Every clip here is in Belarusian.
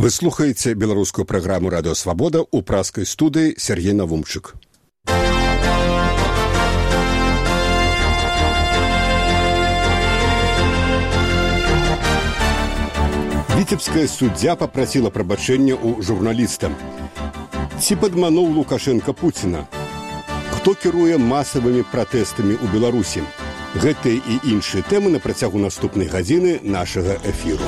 Вы слухаеце беларускую праграму «Радыё Свабода» ў праскай студыі Сергей Навумчык. Віцебская суддзя папрасіла прабачэння ў журналіста. Ці падмануў Лукашенка Пуціна? Хто кіруе масавымі пратэстамі ў Беларусі? Гэтыя і іншыя тэмы на працягу наступнай гадзіны нашага эфіру.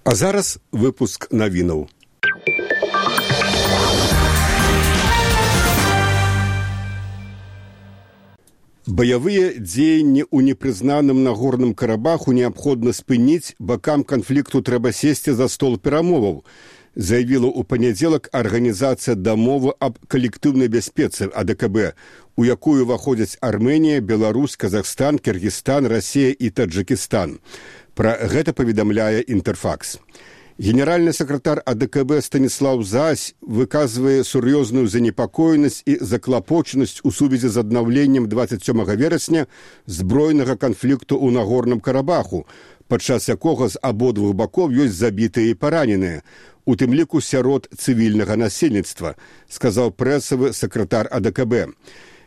А зараз выпуск навінаў. Баявыя дзеянні ў непрызнаным Нагорным Карабаху неабходна спыніць, бакам канфлікту трэба сесці за стол перамоваў, заявіла ў панядзелак арганізацыя дамовы аб калектыўнай бяспецы АДКБ, у якую ўваходзяць Армэнія, Беларусь, Казахстан, Кыргызстан, Расія і Таджыкістан. Пра гэта паведамляе Інтэрфакс. Генеральны сакратар АДКБ Станіслаў Зась выказвае сур'ёзную занепакоенасць і заклапочанасць у сувязі з аднаўленнем 27 верасня збройнага канфлікту ў Нагорным Карабаху, падчас якога з абодвух бакоў ёсць забітыя і параненыя, у тым ліку сярод цывільнага насельніцтва, сказаў прэсавы сакратар АДКБ.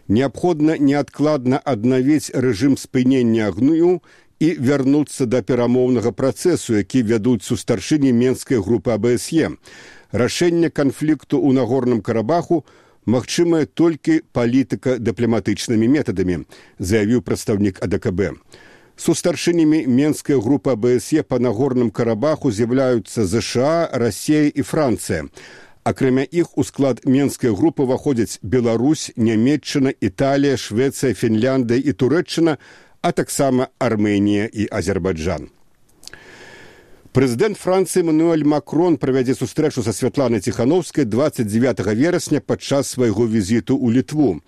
Неабходна неадкладна аднавіць рэжым спынення агню і вярнуцца да перамоўнага працэсу, які вядуць сустаршыні менскай групы АБСЕ. Рашэнне канфлікту ў Нагорным Карабаху магчымае толькі палітыка-дыпламатычнымі метадамі, заявіў прадстаўнік АДКБ. Сустаршынямі менскай групы АБСЕ па Нагорным Карабаху з'яўляюцца ЗША, Расія і Францыя. Акрамя іх у склад менскай групы ўваходзяць Беларусь, Нямецчына, Італія, Швецыя, Фінляндыя і Турэччына, а таксама Армэнія і Азербайджан. Прэзідэнт Францыі Эмануэль Макрон правядзе сустрэчу са Святланай Ціхановскай 29 верасня падчас свайго візіту ў Літву.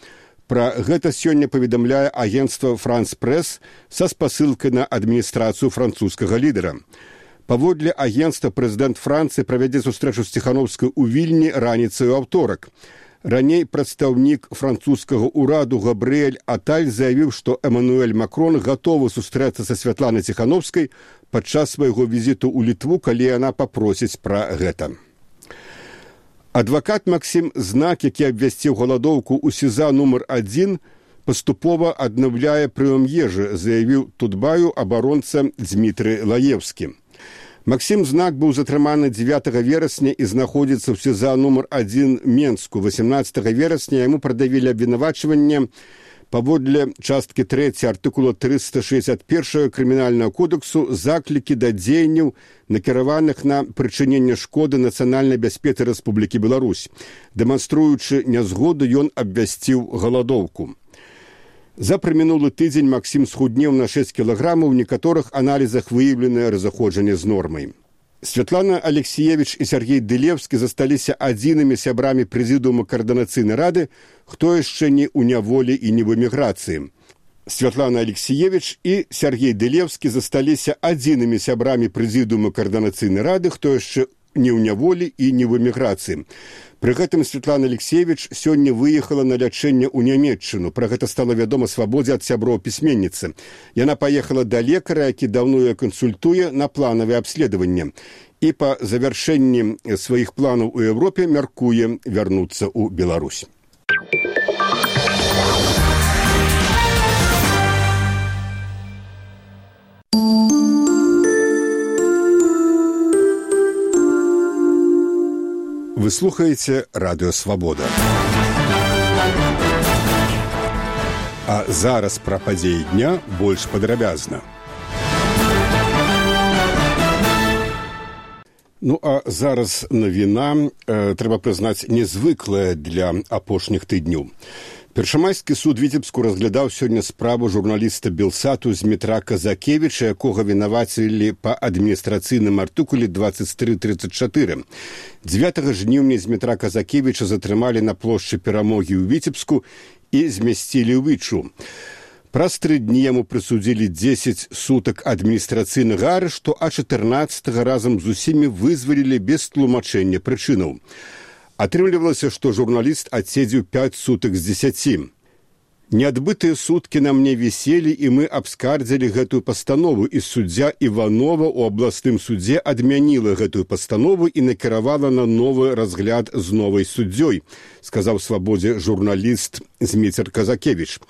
Пра гэта сёння паведамляе агенцтва «Франс Прэс» са спасылкай на адміністрацыю французскага лідара. Паводле агенцтва прэзідэнт Францыі правядзе сустрэчу з Ціхановскай у Вільні раніцай у аўторак. Раней прадстаўнік французскага ўраду Габрыэль Аталь заявіў, што Эмануэль Макрон гатовы сустрэцца са Святланай Ціхановскай падчас свайго візіту ў Літву, калі яна папросіць пра гэта. Адвакат Максім Знак, які абвясціў галадоўку ў СІЗА нумар 1, паступова аднаўляе прыём ежы, заявіў Тутбаю абаронца Дзмітрый Лаевскі. Максім Знак быў затрыманы 9 верасня і знаходзіцца ў СІЗА нумар 1 Менску. 18 верасня яму прадавілі абвінавачванне паводле часткі 3 артыкула 361 крымінальнага кодексу заклікі да дзеянняў, накіраваных на прычыненне шкоды нацыянальнай бяспецы Рэспублікі Беларусь. Дэманструючы нязгоду, ён абвясціў галадоўку. За прамінулы тыдзень Максім схуднеў на 6 кілаграмаў, у некаторых аналізах выяўленае разыходжанне з нормай. Святлана Алексеевич і Сергей Дылевскі засталіся адзінымі сябрамі прэзідыума Каардынацыйнай рады, хто яшчэ не ў няволі і не в эміграцыі. Святлана Алексеевич і Сергей Дылевскі засталіся адзінымі сябрамі прэзідыума Каардынацыйнай рады, хто яшчэ не ў няволі і не в эміграцыі. Пры гэтым Святлана Алексеевич сёння выехала на лячэнне ў Нямецчыну. Пра гэта стала вядома Свабодзе ад сяброў пісьменніцы. Яна паехала да лекара, які даўно яе кансультуе, на планавае абследаванне. І па завяршэнні сваіх планаў у Еўропе мяркуе вярнуцца ў Беларусь. Вы слухаеце «Радыё Свабода». А зараз пра падзеі дня больш падрабязна. Ну, а зараз навіна, трэба прызнаць, незвыклая для апошніх тыдняў. Першамайскі суд Віцебску разглядаў сёння справу журналіста Белсату Змітра Казакевіча, якога вінавацілі па адміністрацыйным артыкуле 2334. 9 жніўня Змітра Казакевіча затрымалі на плошчы Перамогі ў Віцебску і змясцілі ў Вічу. Праз 3 дні яму прысудзілі 10 сутак адміністрацыйнага арышту, а 14-го разам з усімі вызвалілі без тлумачэння прычынаў. Атрымлівалася, што журналіст адседзеў 5 сутак з 10. Неадбытыя суткі на мне віселі, і мы абскардзілі гэтую пастанову, і суддзя Іванова ў абласным судзе адмяніла гэтую пастанову і накіравала на новы разгляд з новай суддзёй, сказаў Свабодзе журналіст Зміцер Казакевіч.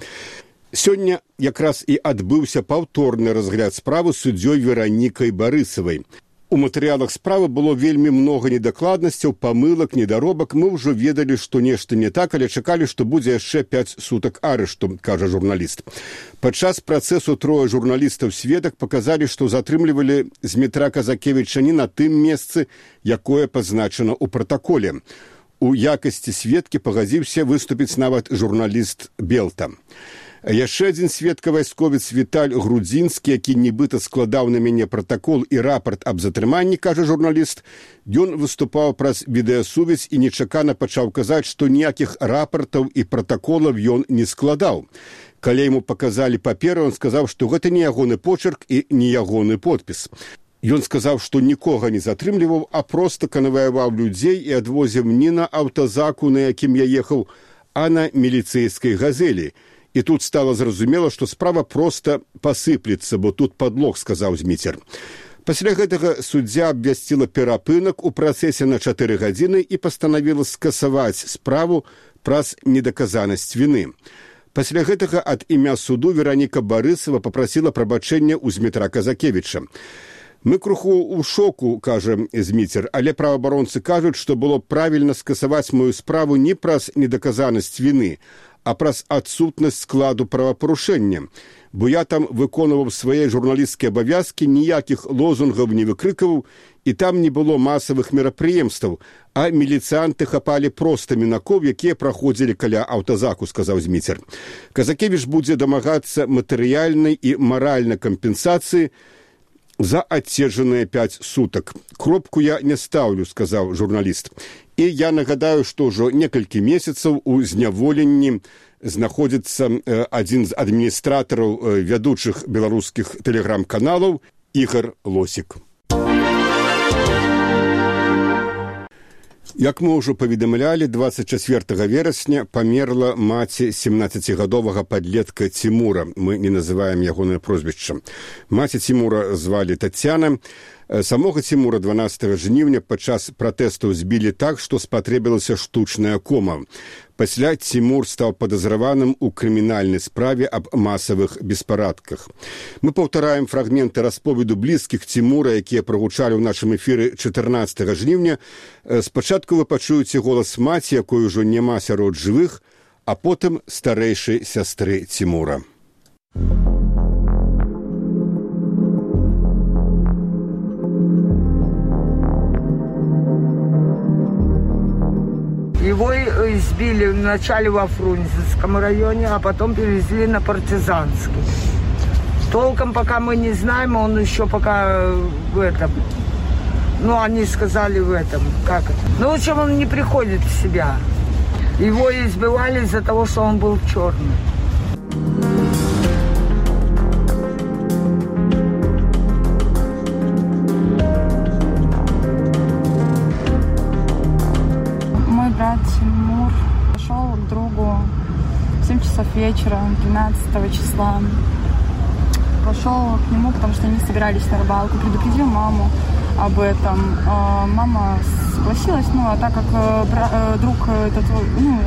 Сёння якраз і адбыўся паўторны разгляд справы суддзёй Веранікай Барысавай. У матэрыялах справы было вельмі многа недакладнасцяў, памылак, недаробак. Мы ўжо ведалі, што нешта не так, але чакалі, што будзе яшчэ 5 сутак арышту, кажа журналіст. Падчас працэсу 3 журналістаў-сведак паказалі, што затрымлівалі Змітра Казакевіча не на тым месцы, якое пазначана ў пратаколе. У якасці сведкі пагадзіўся выступіць нават журналіст Белта. Яшчэ адзін сведка-вайсковец Віталь Грудзінскі, які нібыта складаў на мяне пратакол і рапарт аб затрыманні, кажа журналіст, ён выступаў праз відэасувязь і нечакана пачаў казаць, што ніякіх рапартаў і пратаколаў ён не складаў. Калі яму паказалі паперу, ён сказаў, што гэта не ягоны почерк і не ягоны подпіс. Ён сказаў, што нікога не затрымліваў, а проста канваяваў людзей і адвозіў не на аўтазаку, на якім я ехаў, а на міліцэйскай газелі. І тут стала зразумела, што справа проста пасыплецца, бо тут падлог, сказаў Зміцер. Пасля гэтага суддзя абвясціла перапынак у працэсе на 4 гадзіны і пастанавіла скасаваць справу праз недаказанасць віны. Пасля гэтага ад імя суду Вераніка Барысава папрасіла прабачэння ў Змітра Казакевіча. Мы круху ў шоку, кажа Зміцер, але праваабаронцы кажуць, што было правільна скасаваць мою справу не праз недаказанасць віны, а праз адсутнасць складу правапарушэння, бо я там выконваў свае журналісцкія абавязкі, ніякіх лозунгаў не выкрыкаваў, і там не было масавых мерапрыемстваў, а міліцыянты хапалі проста мінакоў, якія праходзілі каля аўтазаку, сказаў Зміцер. Казакевіч будзе дамагацца матэрыяльнай і маральнай кампенсацыі за адседжаныя 5 сутак. Кропку я не стаўлю, сказаў журналіст. І я нагадаю, што ўжо некалькі месяцаў у зняволенні знаходзіцца адзін з адміністратараў вядучых беларускіх тэлеграм-каналаў Ігар Лосік. Як мы ўжо паведамлялі, 24 верасня памерла маці 17-гадовага падлетка Цімура. Мы не называем ягонае прозвішча. Маці Цімура звалі Тацяна. Самога Цімура 12 жніўня падчас пратэстаў збілі так, што спатрэбілася штучная кома. Пасля Цімур стаў падазраваным у крымінальнай справе аб масавых беспарадках. Мы паўтараем фрагменты расповеду блізкіх Цімура, якія прагучалі ў нашым эфіры 14 жніўня. Спачатку вы пачуеце голас маці, якой ужо няма сярод жывых, а потым старэйшай сястры Цімура. Его избили вначале во Фрунзенском районе, а потом перевезли на Партизанский. Толком пока мы не знаем, он еще пока в этом. Ну, они сказали в этом, как это. Ну, в общем, он не приходит в себя. Его избивали из-за того, что он был черный. Брат Тимур пошел к другу в 7 часов вечера 13 числа. Пошел к нему, потому что они собирались на рыбалку. Предупредил маму об этом. Мама согласилась, а так как друг этот,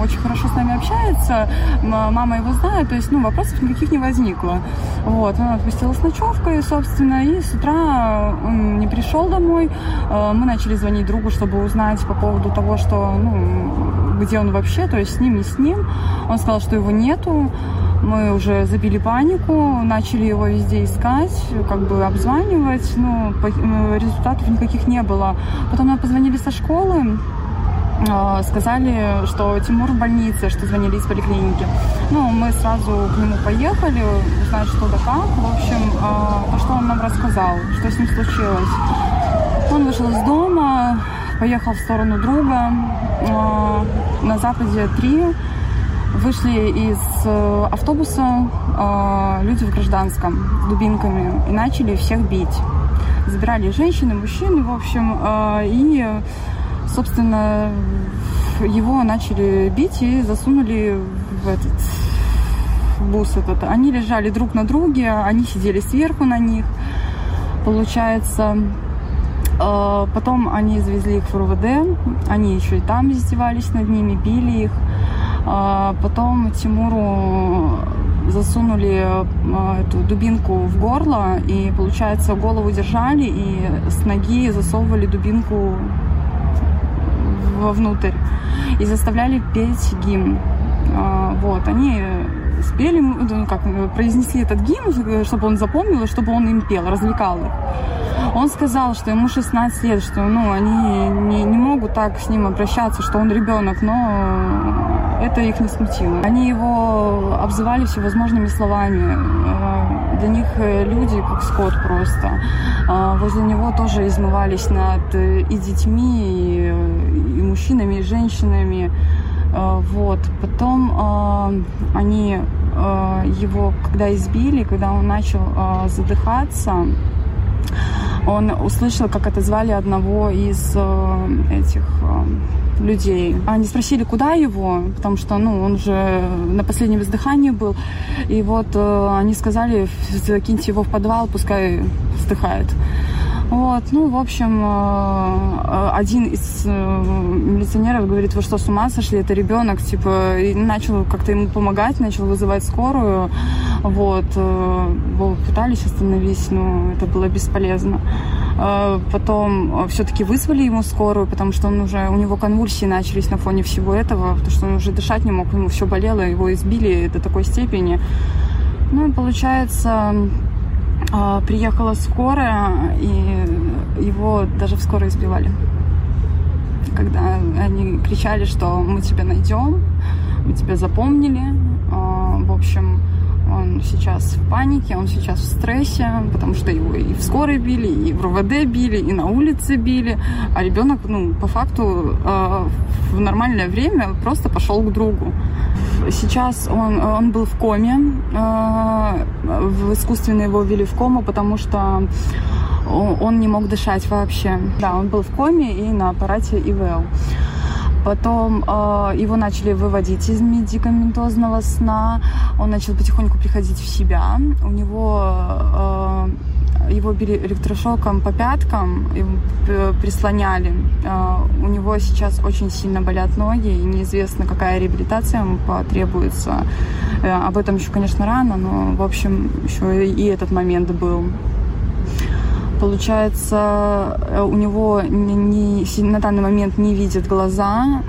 очень хорошо с нами общается, мама его знает, то есть, вопросов никаких не возникло. Вот, она отпустила с ночевкой, собственно, и с утра он не пришел домой. Мы начали звонить другу, чтобы узнать по поводу того, что, где он вообще, то есть с ним, не с ним. Он сказал, что его нету. Мы уже забили панику, начали его везде искать, обзванивать, результатов никаких не было. Потом нам позвонили со школы, сказали, что Тимур в больнице, что звонили из поликлиники. Мы сразу к нему поехали, узнать, что да как. В общем, что он нам рассказал, что с ним случилось. Он вышел из дома, поехал в сторону друга, на западе 3. Вышли из автобуса люди в гражданском с дубинками и начали всех бить. Забирали женщины, мужчины, в общем, и, собственно, его начали бить и засунули в бус этот. Они лежали друг на друге, они сидели сверху на них, получается. Потом они завезли их в РУВД, они еще и там издевались над ними, били их. Потом Тимуру засунули эту дубинку в горло, и, получается, голову держали и с ноги засовывали дубинку вовнутрь и заставляли петь гимн. Вот, они спели, произнесли этот гимн, чтобы он запомнил, и чтобы он им пел, развлекал их. Он сказал, что ему 16 лет, что они не могут так с ним обращаться, что он ребенок, но это их не смутило. Они его обзывали всевозможными словами. Для них люди как скот просто. Возле него тоже измывались над и детьми, и мужчинами, и женщинами. Вот. Потом они его, когда избили, когда он начал задыхаться, он услышал, как отозвали одного из этих людей. Они спросили, куда его, потому что, он уже на последнем издыхании был. И вот они сказали, закиньте его в подвал, пускай вздыхает. Вот, в общем, один из милиционеров говорит, вы что, с ума сошли, это ребенок, и начал как-то ему помогать, начал вызывать скорую, вот, его пытались остановить, но это было бесполезно. Потом все-таки вызвали ему скорую, потому что у него конвульсии начались на фоне всего этого, потому что он уже дышать не мог, ему все болело, его избили до такой степени. И получается, приехала скорая, и его даже в скорой избивали. Когда они кричали, что мы тебя найдем, мы тебя запомнили. В общем, он сейчас в панике, он сейчас в стрессе, потому что его и в скорой били, и в РУВД били, и на улице били. А ребенок, по факту, в нормальное время просто пошел к другу. Сейчас он был в коме, искусственно его ввели в кому, потому что он не мог дышать вообще. Да, он был в коме и на аппарате ИВЛ. Потом его начали выводить из медикаментозного сна, он начал потихоньку приходить в себя, его били электрошоком по пяткам, прислоняли. У него сейчас очень сильно болят ноги, и неизвестно, какая реабилитация ему потребуется. Об этом еще, конечно, рано, но, в общем, еще и этот момент был. Получается, у него на данный момент не видят глаза,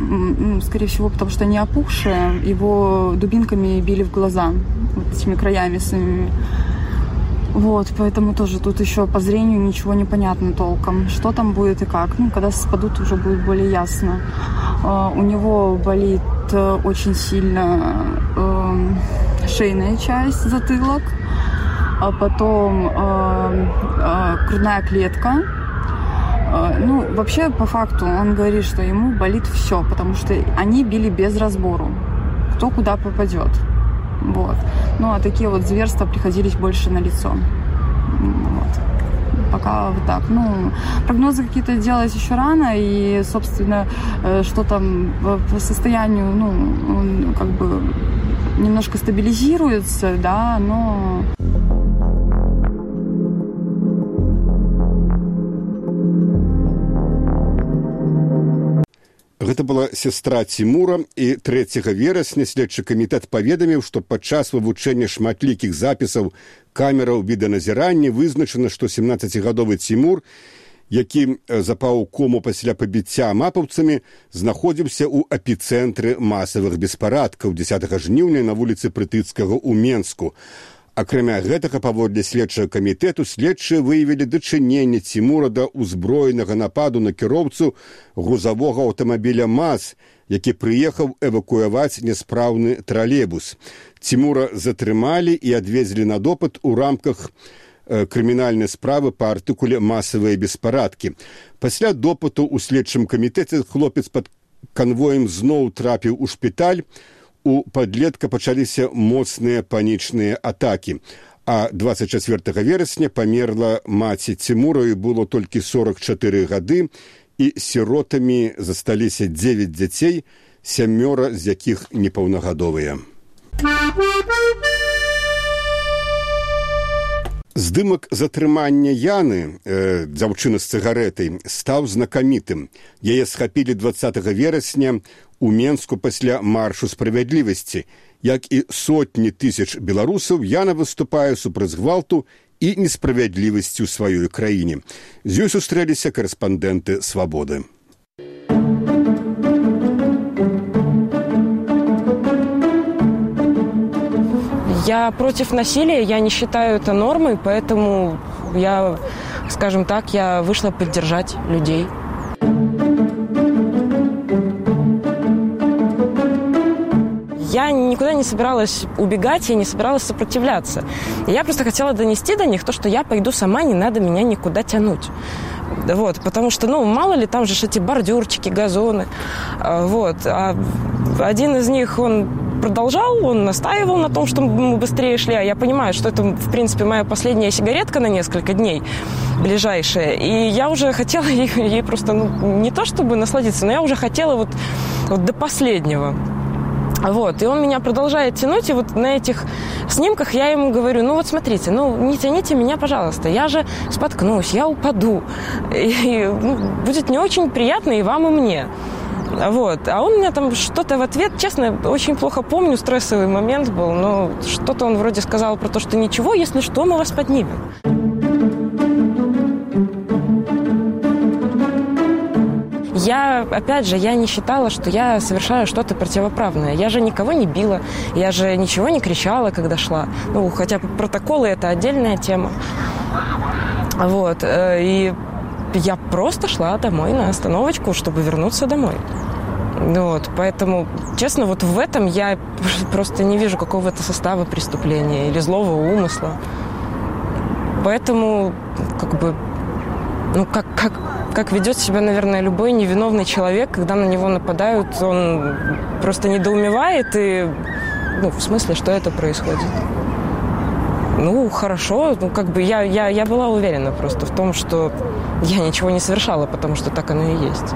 скорее всего, потому что они опухшие, его дубинками били в глаза, вот этими краями своими. Вот, поэтому тоже тут еще по зрению ничего не понятно толком, что там будет и как. Когда спадут, уже будет более ясно. У него болит очень сильно шейная часть, затылок, а потом грудная клетка. Вообще, по факту, он говорит, что ему болит все, потому что они били без разбору, кто куда попадет. Вот. А такие вот зверства приходились больше на лицо. Вот. Пока вот так. Прогнозы какие-то делать еще рано, и, собственно, что там по состоянию, он как бы немножко стабилизируется, да, но... Гэта была сестра Тимура, і 3 верасня следчы камітэт паведаміў, што падчас вывучэння шматлікіх запісаў камераў відэаназірання вызначана, што 17-гадовы Тимур, які запаў у кому пасля пабіцця мапаўцамі, знаходзіўся ў эпіцэнтры масавых беспарадкаў 10 жніўня на вуліцы Прытыцкага ў Менску. Акрамя гэтага, паводле следчага камітэту, следчыя выявілі дачыненне Тимура да ўзброенага нападу на кіроўцу грузавога аўтамабіля МАЗ, які прыехаў эвакуяваць няспраўны тралейбус. Тимура затрымалі і адвезлі на допыт у рамках крымінальнай справы па артыкуле «Масавыя беспарадкі». Пасля допыту ў следчым камітэце хлопец пад канвоем зноў трапіў у шпіталь. у падлетка пачаліся моцныя панічныя атакі. А 24 верасня памерла маці Цімура, і было толькі 44 гады, і сіротамі засталіся 9 дзяцей, 7 з якіх непаўнагадовыя. Здымак затрымання Яны, дзяўчыны з цыгарэтай, стаў знакамітым. Яе схапілі 20 верасня у Менску пасля маршу справядлівасці. Як і сотні тысяч беларусаў, Яна выступае супраць гвалту і несправядлівасці ў сваёй краіне. З ёй сустрэліся карэспандэнты «Свабоды». Я против насилия, я не считаю это нормой, поэтому я, скажем так, я вышла поддержать людей. Я никуда не собиралась убегать, я не собиралась сопротивляться. Я просто хотела донести до них то, что я пойду сама, не надо меня никуда тянуть. Вот, потому что, мало ли, там же эти бордюрчики, газоны. Вот. А один из них, он продолжал, он настаивал на том, что мы быстрее шли. А я понимаю, что это, в принципе, моя последняя сигаретка на несколько дней, ближайшая. И я уже хотела ей просто, не то чтобы насладиться, но я уже хотела вот до последнего. Вот, и он меня продолжает тянуть, и вот на этих снимках я ему говорю, вот смотрите, не тяните меня, пожалуйста, я же споткнусь, я упаду, и будет не очень приятно и вам, и мне. Вот, а он мне там что-то в ответ, честно, очень плохо помню, стрессовый момент был, но что-то он вроде сказал про то, что ничего, если что, мы вас поднимем. Я, опять же, я не считала, что я совершаю что-то противоправное. Я же никого не била, я же ничего не кричала, когда шла. Хотя протоколы – это отдельная тема. Вот, и я просто шла домой на остановочку, чтобы вернуться домой. Вот, поэтому, честно, вот в этом я просто не вижу какого-то состава преступления или злого умысла. Поэтому, как ведет себя, наверное, любой невиновный человек, когда на него нападают, он просто недоумевает и, в смысле, что это происходит. Хорошо, я была уверена просто в том, что я ничего не совершала, потому что так оно и есть.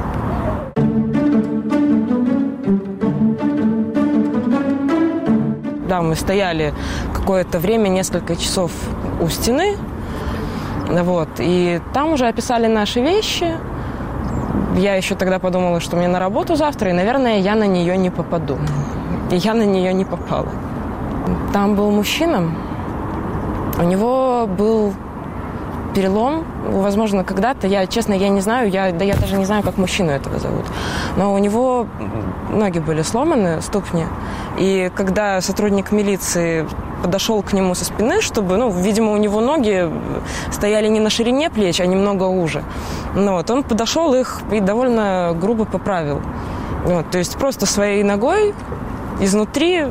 Да, мы стояли какое-то время, несколько часов у стены. Вот, и там уже описали наши вещи. Я еще тогда подумала, что мне на работу завтра, и, наверное, я на нее не попаду. И я на нее не попала. Там был мужчина, у него был перелом, возможно, когда-то, честно, я не знаю, я даже не знаю, как мужчину этого зовут, но у него ноги были сломаны, ступни, и когда сотрудник милиции подошел к нему со спины, чтобы, видимо, у него ноги стояли не на ширине плеч, а немного уже. Он подошел их и довольно грубо поправил. То есть просто своей ногой изнутри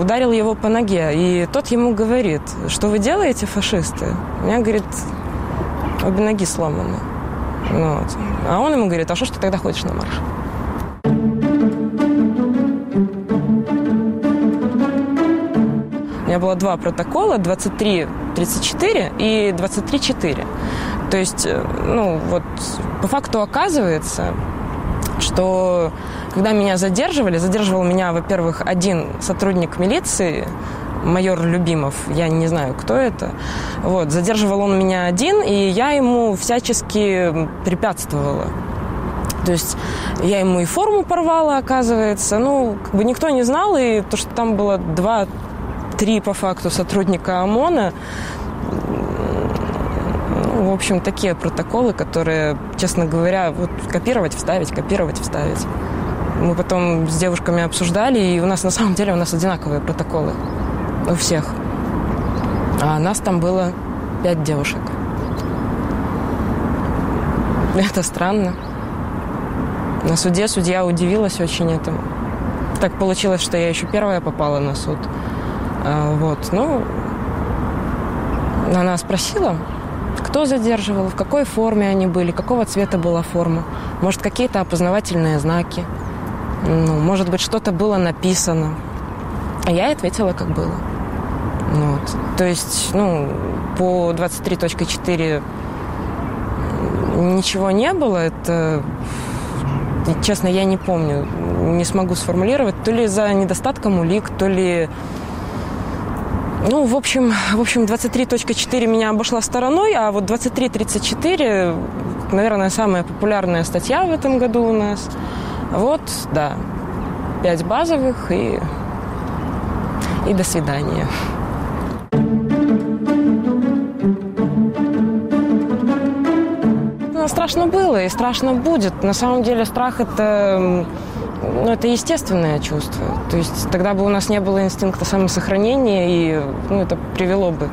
ударил его по ноге. И тот ему говорит, что вы делаете, фашисты? У меня, говорит, обе ноги сломаны. А он ему говорит, а что ж ты тогда ходишь на марш? У меня было 2 протокола, 23-34 и 23-4. То есть, по факту оказывается, что когда меня задерживал меня, во-первых, один сотрудник милиции, майор Любимов, я не знаю, кто это. Вот, задерживал он меня один, и я ему всячески препятствовала. То есть я ему и форму порвала, оказывается. Никто не знал, и то, что там было 2-3 по факту сотрудника ОМОНа. В общем, такие протоколы, которые, честно говоря, копировать, вставить. Мы потом с девушками обсуждали, и у нас на самом деле одинаковые протоколы. У всех. А нас там было 5 девушек. Это странно. На суде судья удивилась очень этому. Так получилось, что я еще первая попала на суд. Она спросила, кто задерживал, в какой форме они были, какого цвета была форма, может, какие-то опознавательные знаки. может быть, что-то было написано. А я ответила, как было. Вот. То есть, по 23.4 ничего не было. Это, честно, я не помню, не смогу сформулировать. То ли из-за недостатка улик, то ли... в общем, 23.4 меня обошла стороной, а вот 23.34, наверное, самая популярная статья в этом году у нас. Вот, да, 5 базовых и до свидания. Страшно было и страшно будет. На самом деле страх – это естественное чувство. То есть тогда бы у нас не было инстинкта самосохранения, и это привело бы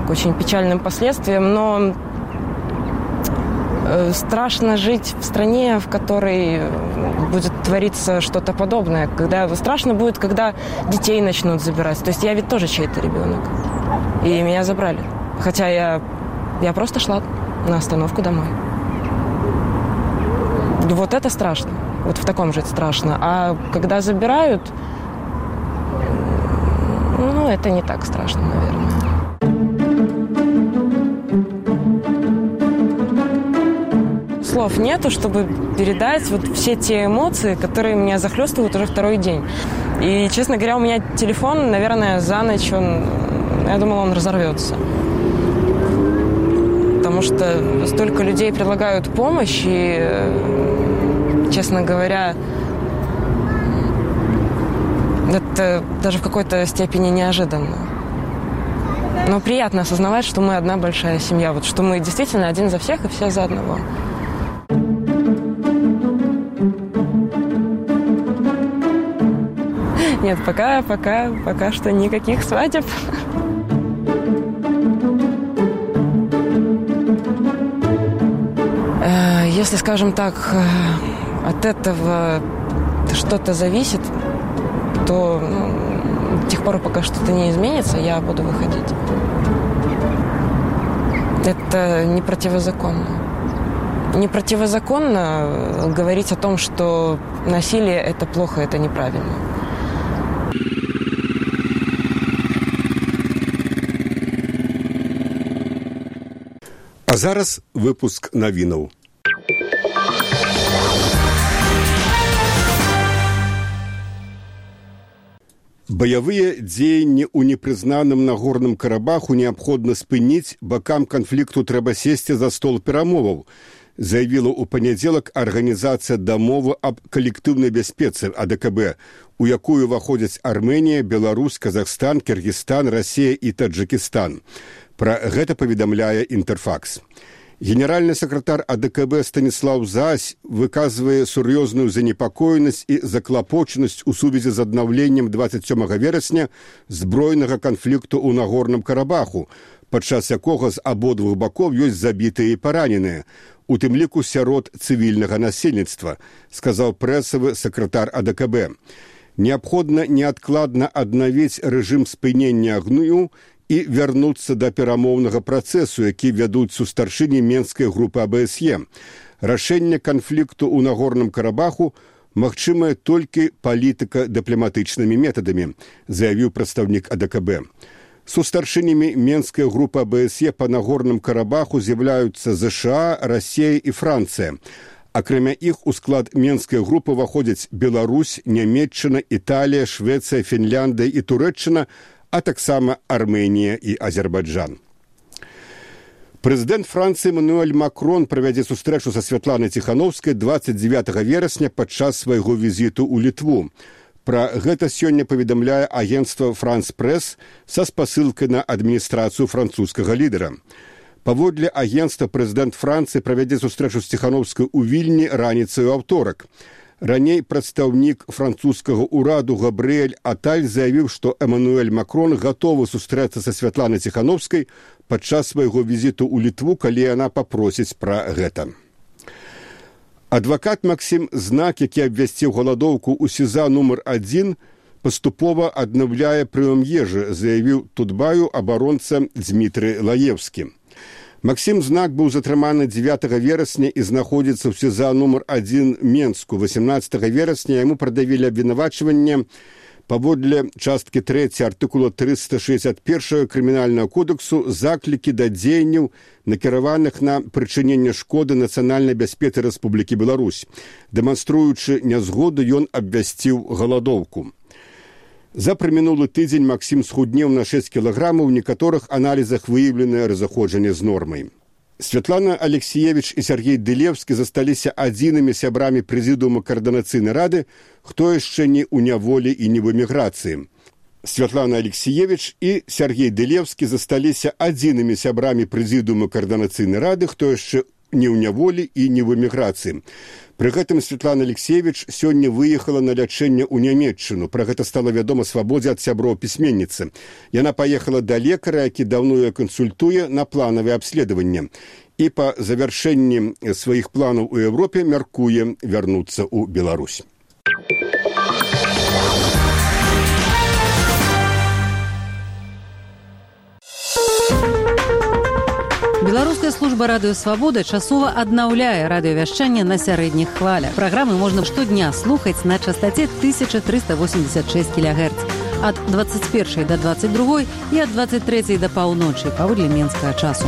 к очень печальным последствиям. Но страшно жить в стране, в которой будет твориться что-то подобное. Страшно будет, когда детей начнут забирать. То есть я ведь тоже чей-то ребенок. И меня забрали. Хотя я просто шла на остановку домой. Вот это страшно. Вот в таком жить страшно. А когда забирают, это не так страшно, наверное. Слов нету, чтобы передать вот все те эмоции, которые меня захлестывают уже второй день. И, честно говоря, у меня телефон, наверное, за ночь, я думала, он разорвется. Потому что столько людей предлагают помощь, и, честно говоря, это даже в какой-то степени неожиданно. Но приятно осознавать, что мы одна большая семья, вот что мы действительно один за всех и все за одного. Нет, пока что никаких свадеб. Если, скажем так, от этого что-то зависит, то до тех пор, пока что-то не изменится, я буду выходить. Это не противозаконно. Не противозаконно говорить о том, что насилие – это плохо, это неправильно. А зараз выпуск навінаў. Баявыя дзеянні ў непрызнаным Нагорным Карабаху неабходна спыніць, бакам канфлікту трэба сесці за стол перамоваў, заявіла ў панядзелак арганізацыя дамовы аб калектыўнай бяспецы АДКБ, у якую ўваходзяць Армэнія, Беларусь, Казахстан, Кыргызстан, Расія і Таджикістан. Пра гэта паведамляе Інтэрфакс. Генеральны сакратар АДКБ Станіслаў Зась выказвае сур'ёзную занепакоенасць і заклапочанасць у сувязі з аднаўленнем 27 верасня збройнага канфлікту ў Нагорным Карабаху, падчас якога з абодвух бакоў ёсць забітыя і параненыя, у тым ліку сярод цывільнага насельніцтва, сказаў прэсавы сакратар АДКБ. Неабходна неадкладна аднавіць рэжым спынення агню і вярнуцца да перамоўнага працэсу, які вядуць сустаршыні Менскай групы АБСЕ. Рашэнне канфлікту ў Нагорным Карабаху магчымае толькі палітыка-дыпламатычнымі метадамі, заявіў прадстаўнік АДКБ. Сустаршынямі Менскай групы АБСЕ па Нагорным Карабаху з'яўляюцца ЗША, Расія і Францыя. Акрамя іх у склад Менскай групы ўваходзяць Беларусь, Нямецчына, Італія, Швецыя, Фінляндыя і Турэччына, а таксама Армэнія і Азербайджан. Прэзідэнт Францыі Эммануэль Макрон правядзе сустрэчу са Святланай Ціхановскай 29 верасня падчас свайго візіту ў Літву. Пра гэта сёння паведамляе агенцтва «Франс Прэс» са спасылкай на адміністрацыю французскага лідара. Паводле агенцтва прэзідэнт Францыі правядзе сустрэчу з Ціхановскай у Вільні раніцай у аўторак. Раней прадстаўнік французскага ўраду Габрыэль Аталь заявіў, што Эммануэль Макрон гатовы сустрэцца са Святланай Ціхановскай падчас свайго візіту ў Літву, калі яна папросіць пра гэта. Адвакат Максім Знак, які абвясціў галадоўку ў СІЗА нумар 1, паступова аднаўляе прыём ежы, заявіў Тутбаю абаронца Дзмітрый Лаевскі. Максім Знак быў затрыманы 9 верасня і знаходзіцца ў СІЗА нумар 1 Менску. 18 верасня яму прадавілі абвінавачванне паводле часткі 3 артыкула 361 Крымінальнага кодексу заклікі да дзеянняў, накіраваных на прычыненне шкоды нацыянальнай бяспецы Рэспублікі Беларусь. Дэманструючы нязгоду, ён абвясціў галадоўку. За прамінулы тыдзень Максім схуднеў на 6 кілаграмаў, у некаторых аналізах выяўленае разыходжанне з нормай. Святлана Алексеевич і Сергей Дылевскі засталіся адзінымі сябрамі прэзідыума Каардынацыйнай рады, хто яшчэ не ў няволі і не в эміграцыі. Святлана Алексеевич і Сергей Дылевскі засталіся адзінымі сябрамі прэзідыума Каардынацыйнай рады, хто яшчэ не ў няволі і не в эміграцыі. Пры гэтым Святлана Алексеевич сёння выехала на лячэнне ў Нямецчыну. Пра гэта стала вядома Свабодзе ад сяброў пісьменніцы. Яна паехала да лекара, які даўно яе кансультуе, на планавае абследаванне. І па завяршэнні сваіх планаў у Еўропе мяркуе вярнуцца ў Беларусь. Беларуская служба радыё «Свабода» часова аднаўляе радыёвяшчанне на сярэдніх хвалях. Праграмы можна штодня слухаць на частаце 1386 кГц ад 21 до 22 і ад 23 до паўночы паводле менскага часу.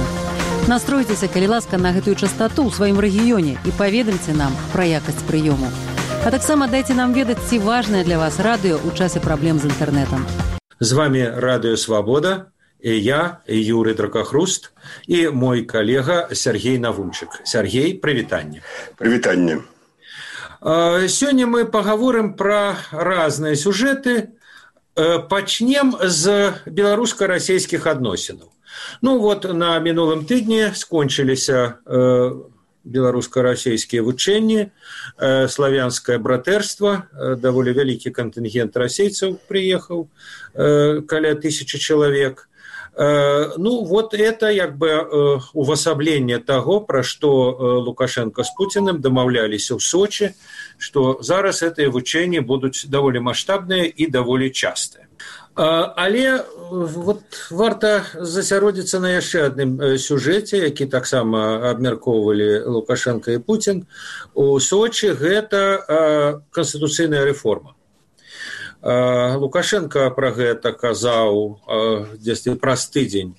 Настройцеся, калі ласка, на гэтую частату ў сваім рэгіёне і паведамце нам пра якасць прыёму. А таксама дайце нам ведаць, ці важнае для вас радыё ў часе праблем з інтэрнэтам. З вами радыё «Свабода». И я, Юрий Дракохруст, и мой коллега Сергей Навунчик. Сергей, привитание. Привитание. Сегодня мы поговорим про разные сюжеты. Почнем с белорусско-российских адносинаў. Ну вот на мінулым тыдні скончыліся беларуска-расейскія вучэнні, славянскае братэрства, даволі вялікі кантынгент расейцаў прыехаў, каля 1000 чалавек. Ну, вот это як бы увасабленне таго, пра што Лукашенко з Пуціным дамаўляліся ў Сочи, што зараз гэтыя вучэнні будуць даволі маштабныя і даволі частыя. Але вот варта засяродзіцца на яшчэ адным сюжэце, які таксама абмяркоўвалі Лукашенко і Путін у Сочи, гэта канстытуцыйная рэформа. Лукашенко пра гэта казаў дзесьці праз тыдзень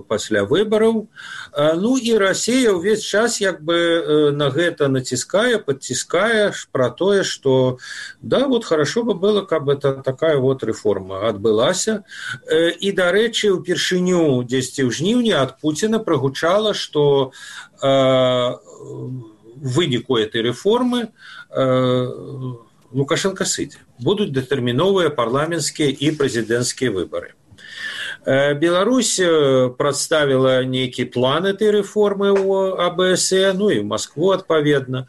пасля выбараў. Ну і Расія ўвесь час як бы на гэта націскае, падціскае пра тое, што да, вот хорошо бы было, каб это такая вот рэформа адбылася. І, дарэчы, упершыню дзесьці ў жніўні ад Пуціна прагучала, што в выніку этой рэформы Лукашенко сыдзе. Будуць дэтэрміновыя парламенцкія і прэзідэнцкія выбары. Беларусь прадставіла нейкі план этой рэформы ў АБСЕ, ну і ў Маскву адпаведна.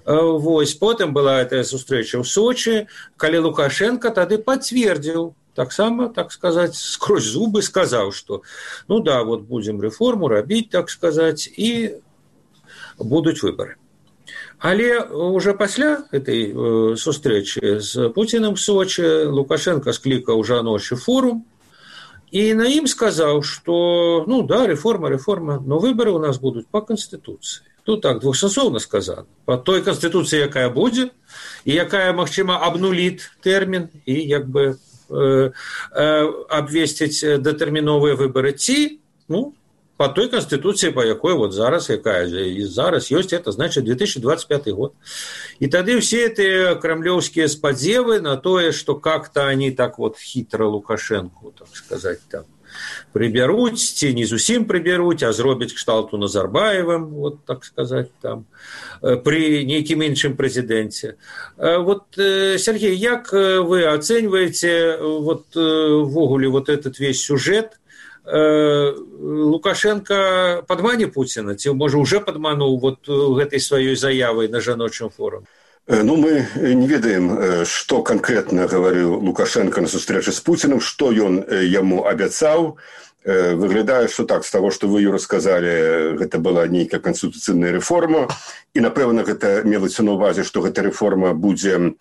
Вось, потым была эта сустрэча ў Сочи, калі Лукашенко тады пацвердзіў, таксама, так сказаць, скрозь зубы сказаў, што ну да, вот будзем рэформу рабіць, так сказаць, і будуць выбары. Але уже пасля этой сустрэчы з Пуціным в Сочи Лукашенко склікаў жаночы форум і на ім сказаў, што ну да, рэформа, но выбары у нас будуць по Конституцыі. Тут так двухсэнсоўна сказано. По той Конституцыі, якая будзе, і якая, магчыма, абнуліць тэрмін і як бы абвесціць дэтэрміновыя выбары, ці, ну, по той Конституции, по якой вот зараз, якая и зараз есть, это значит 2025 год. И тогда все эти кремлевские сподзевы на то, что как-то они так вот хитро Лукашенко, так сказать, там приберуть, ці не зусім приберуть, а зробить кшталту Назарбаевым, вот так сказать, там, при нейкім іншым президенте. Вот, Сергей, як вы оцениваете вот ввогуле вот этот весь сюжет? Лукашенко падмане Пуціна, ці, можа, уже падмануў вот гэтай сваёй заявай на жаночым форуме? Ну, мы не ведаем, што канкрэтна гаварыў Лукашенко на сустрэчы з Пуціным, што ён яму абяцаў. Выглядае, што так, з таго, што вы, Юра, сказалі, гэта была нейкая канстытуцыйная рэформа, і, напэўна, гэта мелася на ўвазе, што гэта рэформа будзе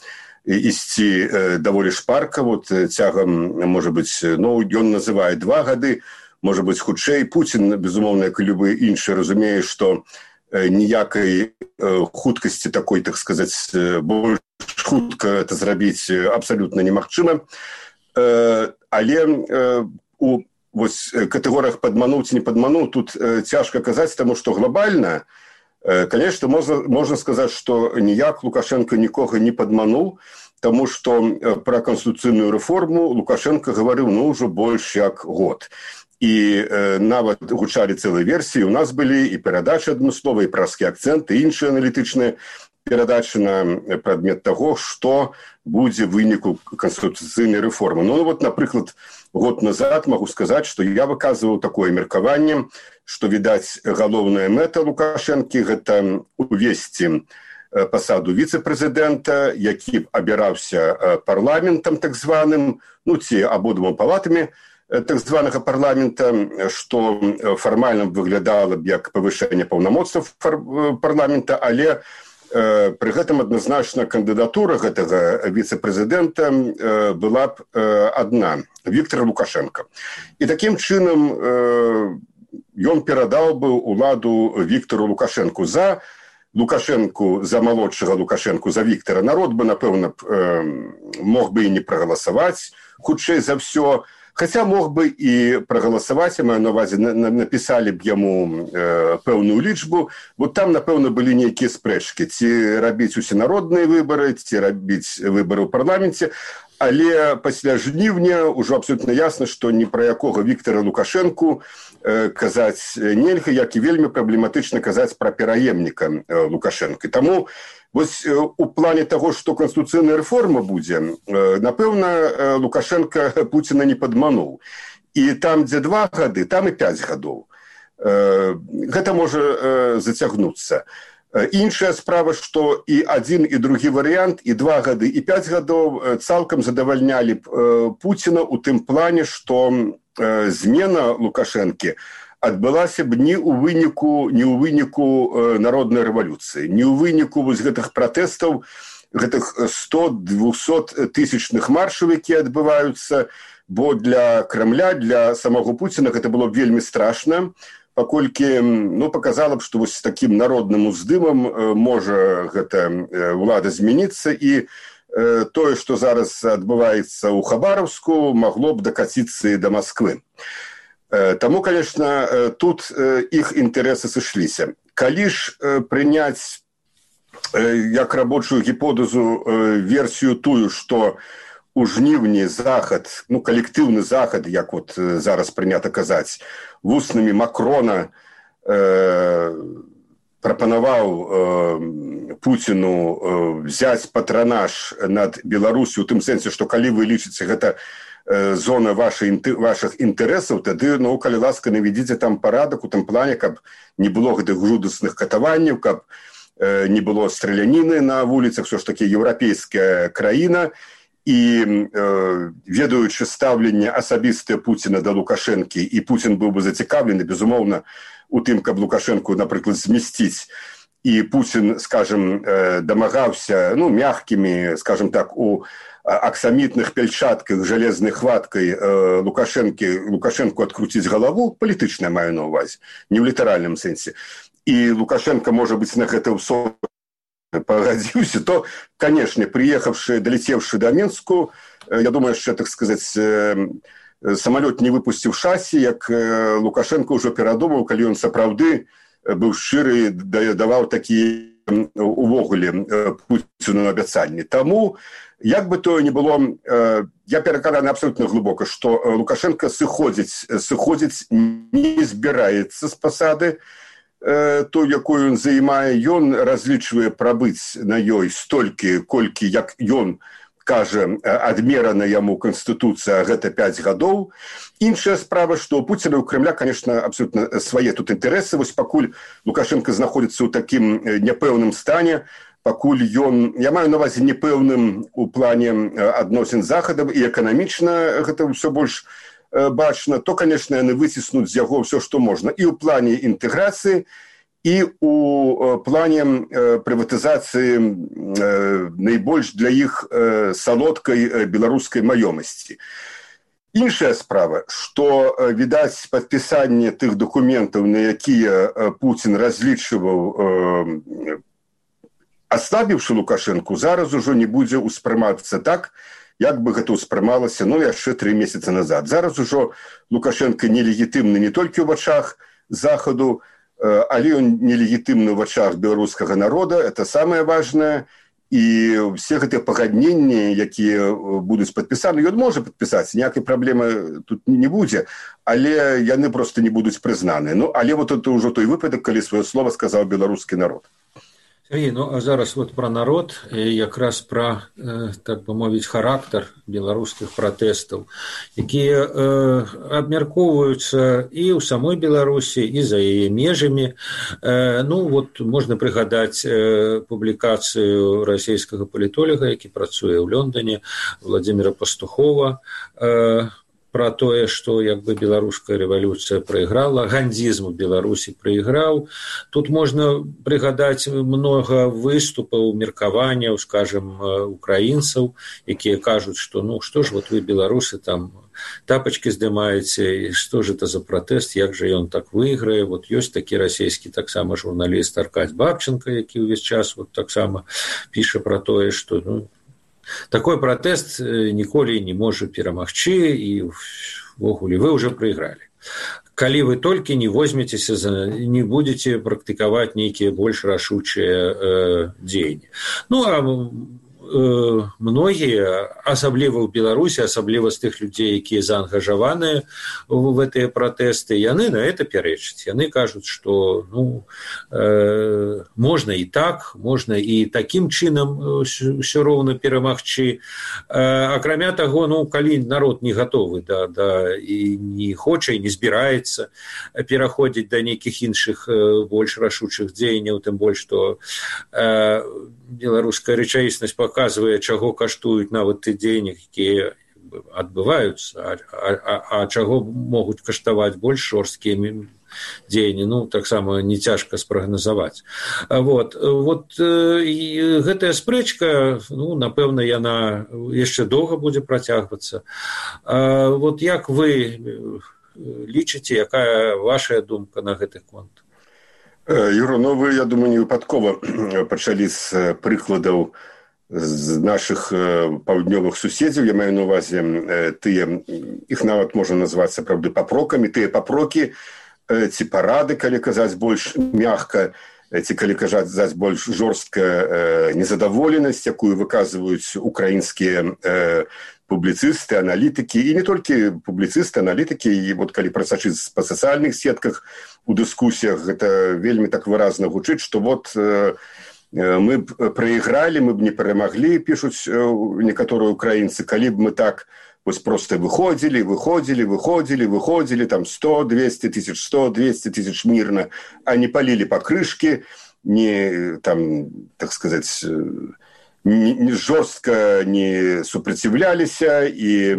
ісці даволі шпарка, вот цягам, можа быць, ну, ён называе 2 гады, можа быць хутчэй. Пуцін, безумоўна, як і любы іншы, разумее, што ніякай хуткасці такой, так сказаць, больш хутка это зрабіць абсалютна немагчыма. Але у катэгорыях падмануў ці не падмануў тут цяжка казаць, таму што глобальна, конечно, можна сказаць, што ніяк Лукашенко нікога не падмануў, таму што пра канстытуцыйную рэформу Лукашенко гаварыў ўжо больш як год. І нават гучалі цэлыя версіі, у нас былі і перадачы адмысловыя, і праскі акцэнт, і іншыя аналітычныя перадачы на прадмет таго, што будзе выніку канстытуцыйнай рэформы. Напрыклад, год назад магу сказаць, што я выказваў такое меркаванне, што, відаць, галоўная мэта Лукашэнкі – гэта увесці пасаду віцэ-прэзідэнта, які б абіраўся парламентам так званым, ці абодвума палатамі так званага парламента, што фармальна выглядала б як павышэнне паўнамоцтваў парламента, але пры гэтым адназначна кандыдатура гэтага віцэ-прэзідэнта была б адна – Віктор Лукашенко. І такім чынам ён перадаў бы уладу Віктору Лукашенку. За малодшага Лукашенку, за Віктора народ бы, напэўна, мог бы і не прагаласаваць, хутчэй за ўсё. Хаця мог бы і прагаласаваць, я маю на ўвазе, напісалі б яму пэўную лічбу, бо там, напэўна, былі нейкія спрэчкі, ці рабіць усенародныя выбары, ці рабіць выбары ў парламенце, але пасля жніўня ўжо абсолютна ясна, што ні пра якога Віктора Лукашенку казаць нельга, як і вельмі праблематычна казаць пра пераемніка Лукашенка. Таму вось у плане таго, што канстытуцыйная рэформа будзе, напэўна, Лукашенко Пуціна не падмануў. І там, дзе 2 гады, там і 5 гадоў. Гэта можа зацягнуцца. Іншая справа, што і адзін, і другі варыянт, і 2 гады, і 5 гадоў цалкам задавальнялі Пуціна ў тым плане, што змена Лукашэнкі адбылася б не ў выніку народнай рэвалюцыі, не ў выніку вось гэтых пратэстаў, гэтых 100-200 тысячных маршаў, якія адбываюцца, бо для Крамля, для самого Пуціна гэта было вельмі страшна, паколькі паказала б, што вось такім народным уздымам можа гэта ўлада змяніцца, і тое, што зараз адбываецца ў Хабаровску, магло б дакаціцца і да Масквы. Таму, конечно, тут іх інтарэсы сышліся. Калі ж прыняць як рабочую гіпотэзу версію тую, што у жніўні захад, калектыўны захад, як вот зараз прынята казаць, вуснамі Макрона прапанаваў Пуціну взяць патранаж над Беларусю, у тым сэнсе, што калі вы лічыце гэта зона вашых інтарэсаў, тады, калі ласка, наведзіце там парадак у тым плане, каб не было гэтых жудасных катаванняў, каб не было страляніны на вуліцах, все ж таки еўрапейская краіна, і ведаючы стаўленне асабістае Пуціна да Лукашэнкі, і Пуцін быў бы зацікаўлены, безумоўна, у тым, каб Лукашэнку, напрыклад, змясціць, і Пуцін, скажем, дамагаўся, мягкімі, скажем так, у аксамітных пяльчатках жалезнай хваткай Лукашэнку адкруціць галаву, палітычна маю на ўвазе, не ў літаральным сэнсе. І Лукашенко, можа быць, на гэта ўсё пагадзіўся, то, канешне, прыехаўшы, далецеўшы да Мінску, я думаю, яшчэ, так сказаць, самалёт не выпусціў шасі, як Лукашенко ўжо перадумаў, калі ён сапраўды быў шчыры, даваў такія увогуле Пуціну абяцанні. Таму, як бы то ни было, я перакананы абсолютно глыбока, што Лукашенко сыходзіць не збіраецца з пасады, той, якую ён займае, ён разлічвае прабыць на ёй столькі, колькі, як ён кажа, адмерана яму Канстытуцыя, гэта 5 гадоў. Іншая справа, што у Пуціна, у Кремля, конечно, абсолютно свае тут інтарэсы. Вось пакуль Лукашенко знаходзіцца ў такім няпэўным стане, пакуль ён, я маю на ўвазе непэўным у плане адносін з Захадам, і эканамічна гэта ўсё больш бачна, то, конечно, яны выціснуць з яго ўсё, што можна. І ў плане інтэграцыі, і ў плане прыватызацыі найбольш для іх салодкай беларускай маёмасці. Іншая справа, што, відаць, падпісанне тых дакументаў, на якія Пуцін разлічваў, аслабіўшы Лукашэнку, зараз ужо не будзе ўспрымацца так, як бы гэта ўспрымалася, яшчэ 3 месяцы назад. Зараз ужо Лукашенко нелегітымны не толькі ў вачах Захаду, але ён нелегітымны ў вачах беларускага народа, это самае важнае. І все гэтыя пагадненні, якія будуць падпісаны, ён можа падпісаць, ніякай праблемы тут не будзе, але яны проста не будуць прызнаны. Але вот это ўжо той выпадак, калі сваё слова сказаў беларускі народ. Сергей, а зараз пра народ, якраз пра, так бы мовіць, характар беларускіх пратэстаў, якія абмяркоўваюцца і ў самой Беларусі, і за яе межамі. Можна прыгадаць публікацыю расійскага палітолага, які працуе ў Лондоне, Владзіміра Пастухова, пра тое, што як бы беларуская рэвалюцыя прайграла, гандзізм у Беларусі прайграў. Тут можна прыгадаць многа выступаў, меркаванняў, скажем, украінцаў, якія кажуць, што што ж вы, беларусы, там тапачкі здымаеце, і што ж это за пратэст, як жа ён так выйграе. Ёсць такі расійскі таксама журналіст Аркадзь Бабченко, які ўвесь час таксама піша пра тое, што такой пратэст ніколі не можа перамагчы, і ўвогуле вы ўжо прайгралі. Калі вы толькі не возьмецеся, не будзеце практыкаваць нейкія больш рашучыя дзеянні. Многія, асабліва ў Беларусі, асабліва з тых людзей, якія заангажаваныя в гэтыя пратэсты, яны на это пярэчаць. Яны кажуць, што можна і так, можна і такім чынам ўсё роўна перамагчы. Акрамя таго, калі народ не гатовы і не хоча, і не збіраецца пераходзіць да нейкіх іншых больш рашучых дзеянняў, тым больш, што беларуская рэчаіснасць паказвае, чаго каштуюць нават ты дзеянні, якія адбываюцца, а чаго могуць каштаваць больш жорсткія дзеянні, таксама не цяжка спрагназаваць. Гэтая спрэчка, напэўна, яна яшчэ доўга будзе працягвацца. Як вы лічыце, якая ваша думка на гэты конт? Юра, вы, я думаю, не выпадкова пачалі з прыкладаў з нашых паўднёвых суседзяў. Я маю на ўвазе тыя, іх нават можна назваць сапраўды папрокамі, тыя папрокі ці парады, калі казаць больш мякка, ці калі казаць больш жорстка незадаволенасць, якую выказваюць украінскія публіцысты, аналітыкі, і не толькі публіцысты, аналітыкі, і калі прасачыць па сацыяльных сетках, у дыскусіях гэта вельмі так выразна гучыць, што мы б прайгралі, мы б не перамаглі, пішуць некаторыя украінцы, калі б мы так проста выходзілі, там 100, 200 тысяч, 100, 200 тысяч мірна, а не палілі пакрышкі, не, там, так сказаць, не жорстка не супраціўляліся і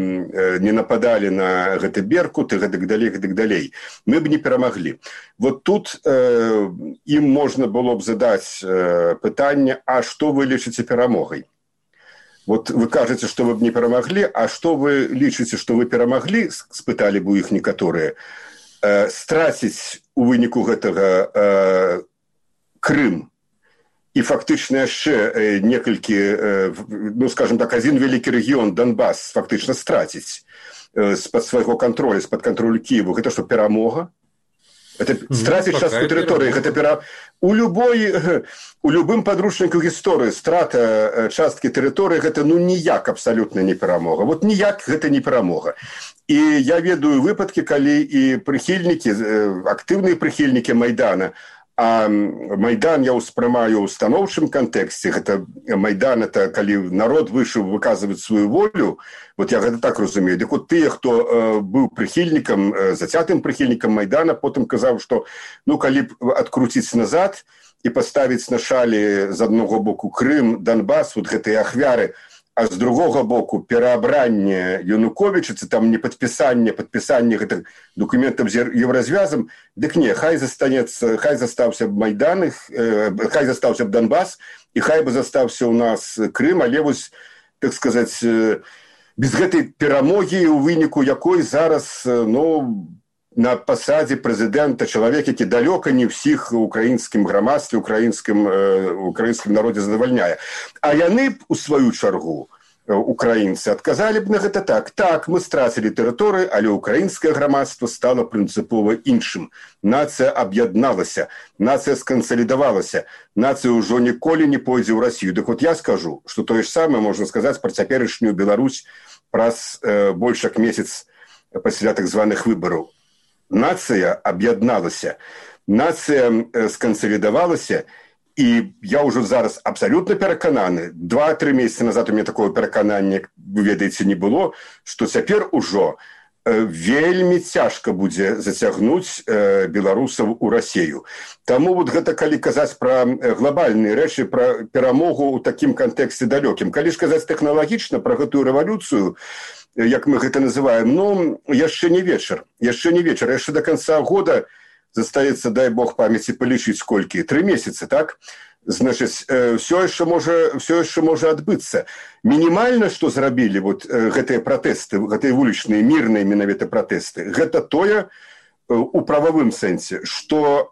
не нападалі на гэты беркут і гэтак далей. Мы б не перамаглі. Тут ім можна было б задаць пытанне, а што вы лічыце перамогай? Вы кажаце, што вы б не перамаглі, а што вы лічыце, што вы перамаглі, спыталі б у іх некаторыя, страціць у выніку гэтага Крым, і фактычна яшчэ некалькі, скажем так, адзін вялікі рэгіён, Донбас, фактычна страціць з-пад свайго кантролю, з-пад кантролю Кіеву. Гэта што, перамога? Это страціць частку тэрыторыі. Гэта у любым падручніку гісторыі страта часткі тэрыторыі гэта ніяк абсалютна не перамога. Ніяк гэта не перамога. І я ведаю выпадкі, калі і прыхільнікі, актыўныя прыхільнікі Майдана, а Майдан я ўспрымаю ў станоўчым кантэксце. Гэта Майдан, это калі народ выйшаў выказваць сваю волю, я гэта так разумею. Дык тыя, хто быў прыхільнікам, зацятым прыхільнікам Майдана, потым казаў, што калі б адкруціць назад і паставіць на шалі з аднаго боку Крым, Донбас, гэтыя ахвяры, а з другога боку пераабранне Януковіча, ці там не падпісанне гэтых дакументаў з еўразвязам, дык не, хай застаўся б Майдан, хай застаўся б Донбас, і хай бы застаўся ў нас Крым, але так сказаць, без гэтай перамогі, у выніку якой зараз на пасадзе прэзідэнта чалавек, які далёка не ўсіх украінскім грамадстве, украінскім народзе задавальняе. А яны б, у сваю чаргу, украінцы, адказалі б на гэта так. Так, мы страцілі тэрыторыю, але украінскае грамадства стала прынцыпова іншым. Нацыя аб'ядналася, нацыя скансалідавалася, нацыя ўжо ніколі не пойдзе ў Расію. Дык вот я скажу, што тое ж самае можна сказаць пра цяперашнюю Беларусь праз больш як месяц пасля так званых выбараў. Нацыя аб'ядналася, нацыя скансалідавалася, і я ўжо зараз абсалютна перакананы, 2-3 месяцы назад у мяне такого пераканання, вы ведаеце, не было, што цяпер ужо вельмі цяжка будзе зацягнуць беларусаў у Расію. Таму вот гэта калі казаць пра глобальныя рэчы, пра перамогу ў такім кантэксце далёкім. Калі ж казаць тэхналагічна пра гэтую рэвалюцыю, як мы гэта называем, яшчэ не вечар. Яшчэ да канца года застаецца, дай Бог памяці, палічыць сколькі? 3 месяцы, так? Значыць, все яшчэ можа адбыцца. Мінімальна, што зрабілі вот гэтыя пратэсты, гэтыя вулічныя, мірныя менавіта пратэсты, гэта тое, у прававым сэнсе, што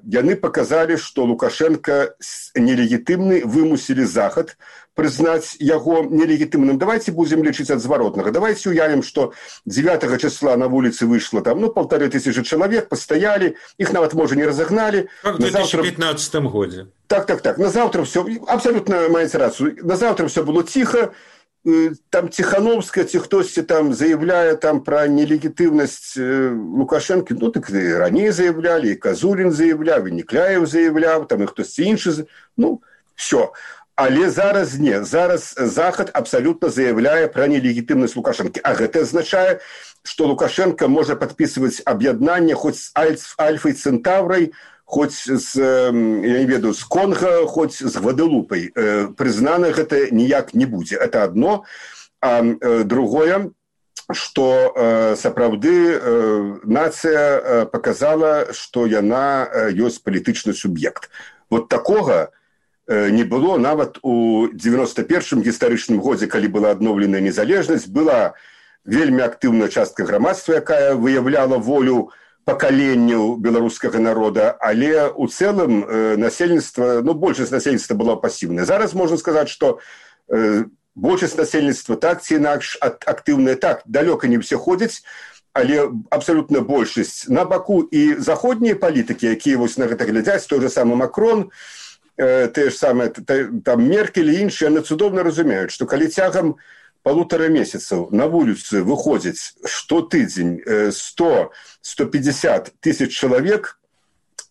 яны паказалі, што Лукашенко нелегітымны, вымусілі Захад прызнаць яго нелегітымным. Давайте будзем лічыць ад зваротнага. Давайте уявім, што 9 числа на вуліцы выйшла там, 1500 чалавек, пастаялі, іх нават, можа, не разагналі. Как в 2015 годзе. Так. На завтра все, абсолютно маеце рацию, на завтра все было тихо, там Тихановская, ці хтосьці там заявляе там пра нелегітымнасць Лукашэнкі, так і раней заявлялі, і Казурін заявляў, і Некляев заявляў, там і хтосьці іншы, все. Але зараз не. Зараз Захад абсалютна заявляе пра нелегітымнасць Лукашэнкі. А гэта азначае, што Лукашенко можа падпісваць аб'яднанне хоць з Альфай Центаврай, хоць з, я не ведаю, з Конга, хоць з Гваделупай. Прызнана гэта ніяк не будзе. Это одно. А другое, што сапраўды нацыя паказала, што яна ёсць палітычны суб'ект. Вот такога не было нават у 91-м гістарычным годзе, калі была адноўленая незалежнасць, была вельмі актыўная частка грамадства, якая выяўляла волю пакаленняў беларускага народа, але ў цэлым насельніцтва, большасць насельніцтва была пасіўная. Зараз можна сказаць, што большасць насельніцтва так ці інакш актыўная, так, далёка не ўсе ходзяць, але абсалютна большасць на баку. І заходнія палітыкі, якія вось на гэта глядзяць, той же самы Макрон, те ж самае, там Меркель і іншыя, яны цудоўна разумеюць, што калі цягам 1,5 месяцаў на вуліцы выходзіць штотыдзень 100-150 тысяч чалавек,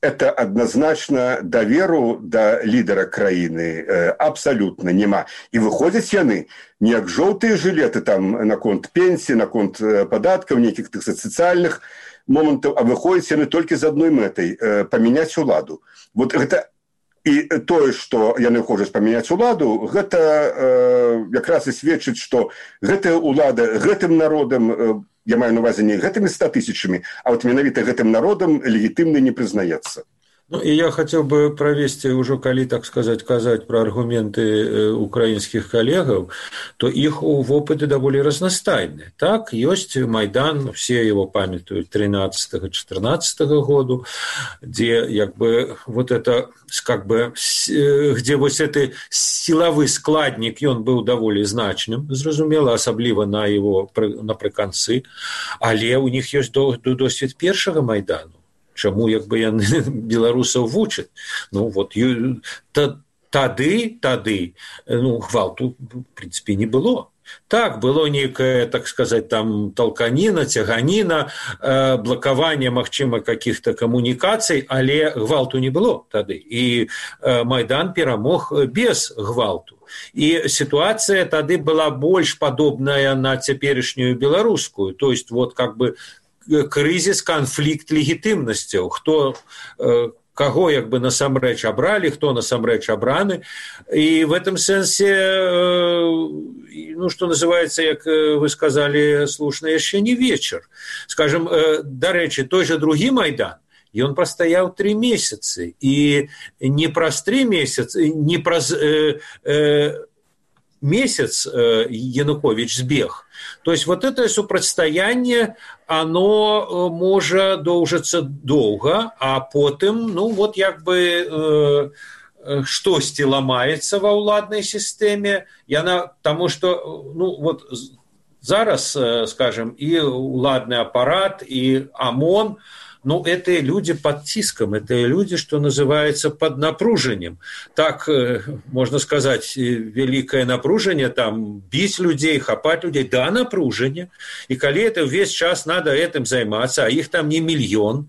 это адназначна даверу да лідара краіны абсалютна няма. І выходзяць яны не як жоўтыя жылеты там наконт пенсіі, наконт падаткаў, нейкіх тых сацыяльных момантаў, а выходзяць яны толькі з адной мэтай памяняць уладу. Вот гэта і тое, што яны хочуць памяняць уладу, гэта якраз і сведчыць, што гэтая улада гэтым народам, я маю на увазе не гэтымі 100 тысячамі, а вот менавіта гэтым народам легітымна не прызнаецца. И я хотел бы провести уже, коли, так сказать, казать про аргументы украинских коллегов, то их опыты довольно разностайные. Так, есть Майдан, все его памятуют 13-14 году, где вот это, где вот этот силовый складник, и он был довольно значным, зразумела, особливо напрыканцы, але у них есть досвід першого Майдану. Чаму яны беларусаў вучаць? Тады гвалту, в принципе, не было. Так, было некая, так сказать, там толканіна, цяганіна, блокаванне, магчыма, каких-то камунікацый, але гвалту не было тады. І Майдан перамог без гвалту. І ситуация тады была больш падобная на цяперашнюю беларускую. То есть, вот крызіс, канфлікт легітымнасцяў, каго насамрэч абралі, хто насамрэч абраны. І в этом сэнсе, что называется, як вы сказали слушна, яшчэ не вечар. Скажем, дарэчы, той же другі Майдан, ён прастаяў 3 месяцы, і не праз 3 месяцы, не праз месяц Янукович сбег. То есть вот это супрацьстаянне, оно может доўжыцца долго, а потым, ну вот як бы штосьці ламаецца ва ўладнай сістэме, потому что, ну вот зараз, скажем, и уладный аппарат, и ОМОН, ну, это люди под тиском, это люди, что называется, под напружением. Так, можно сказать, великое напружение, там, бить людей, хапать людей, да, напружение. И коли это весь час надо этим заниматься, а их там не миллион,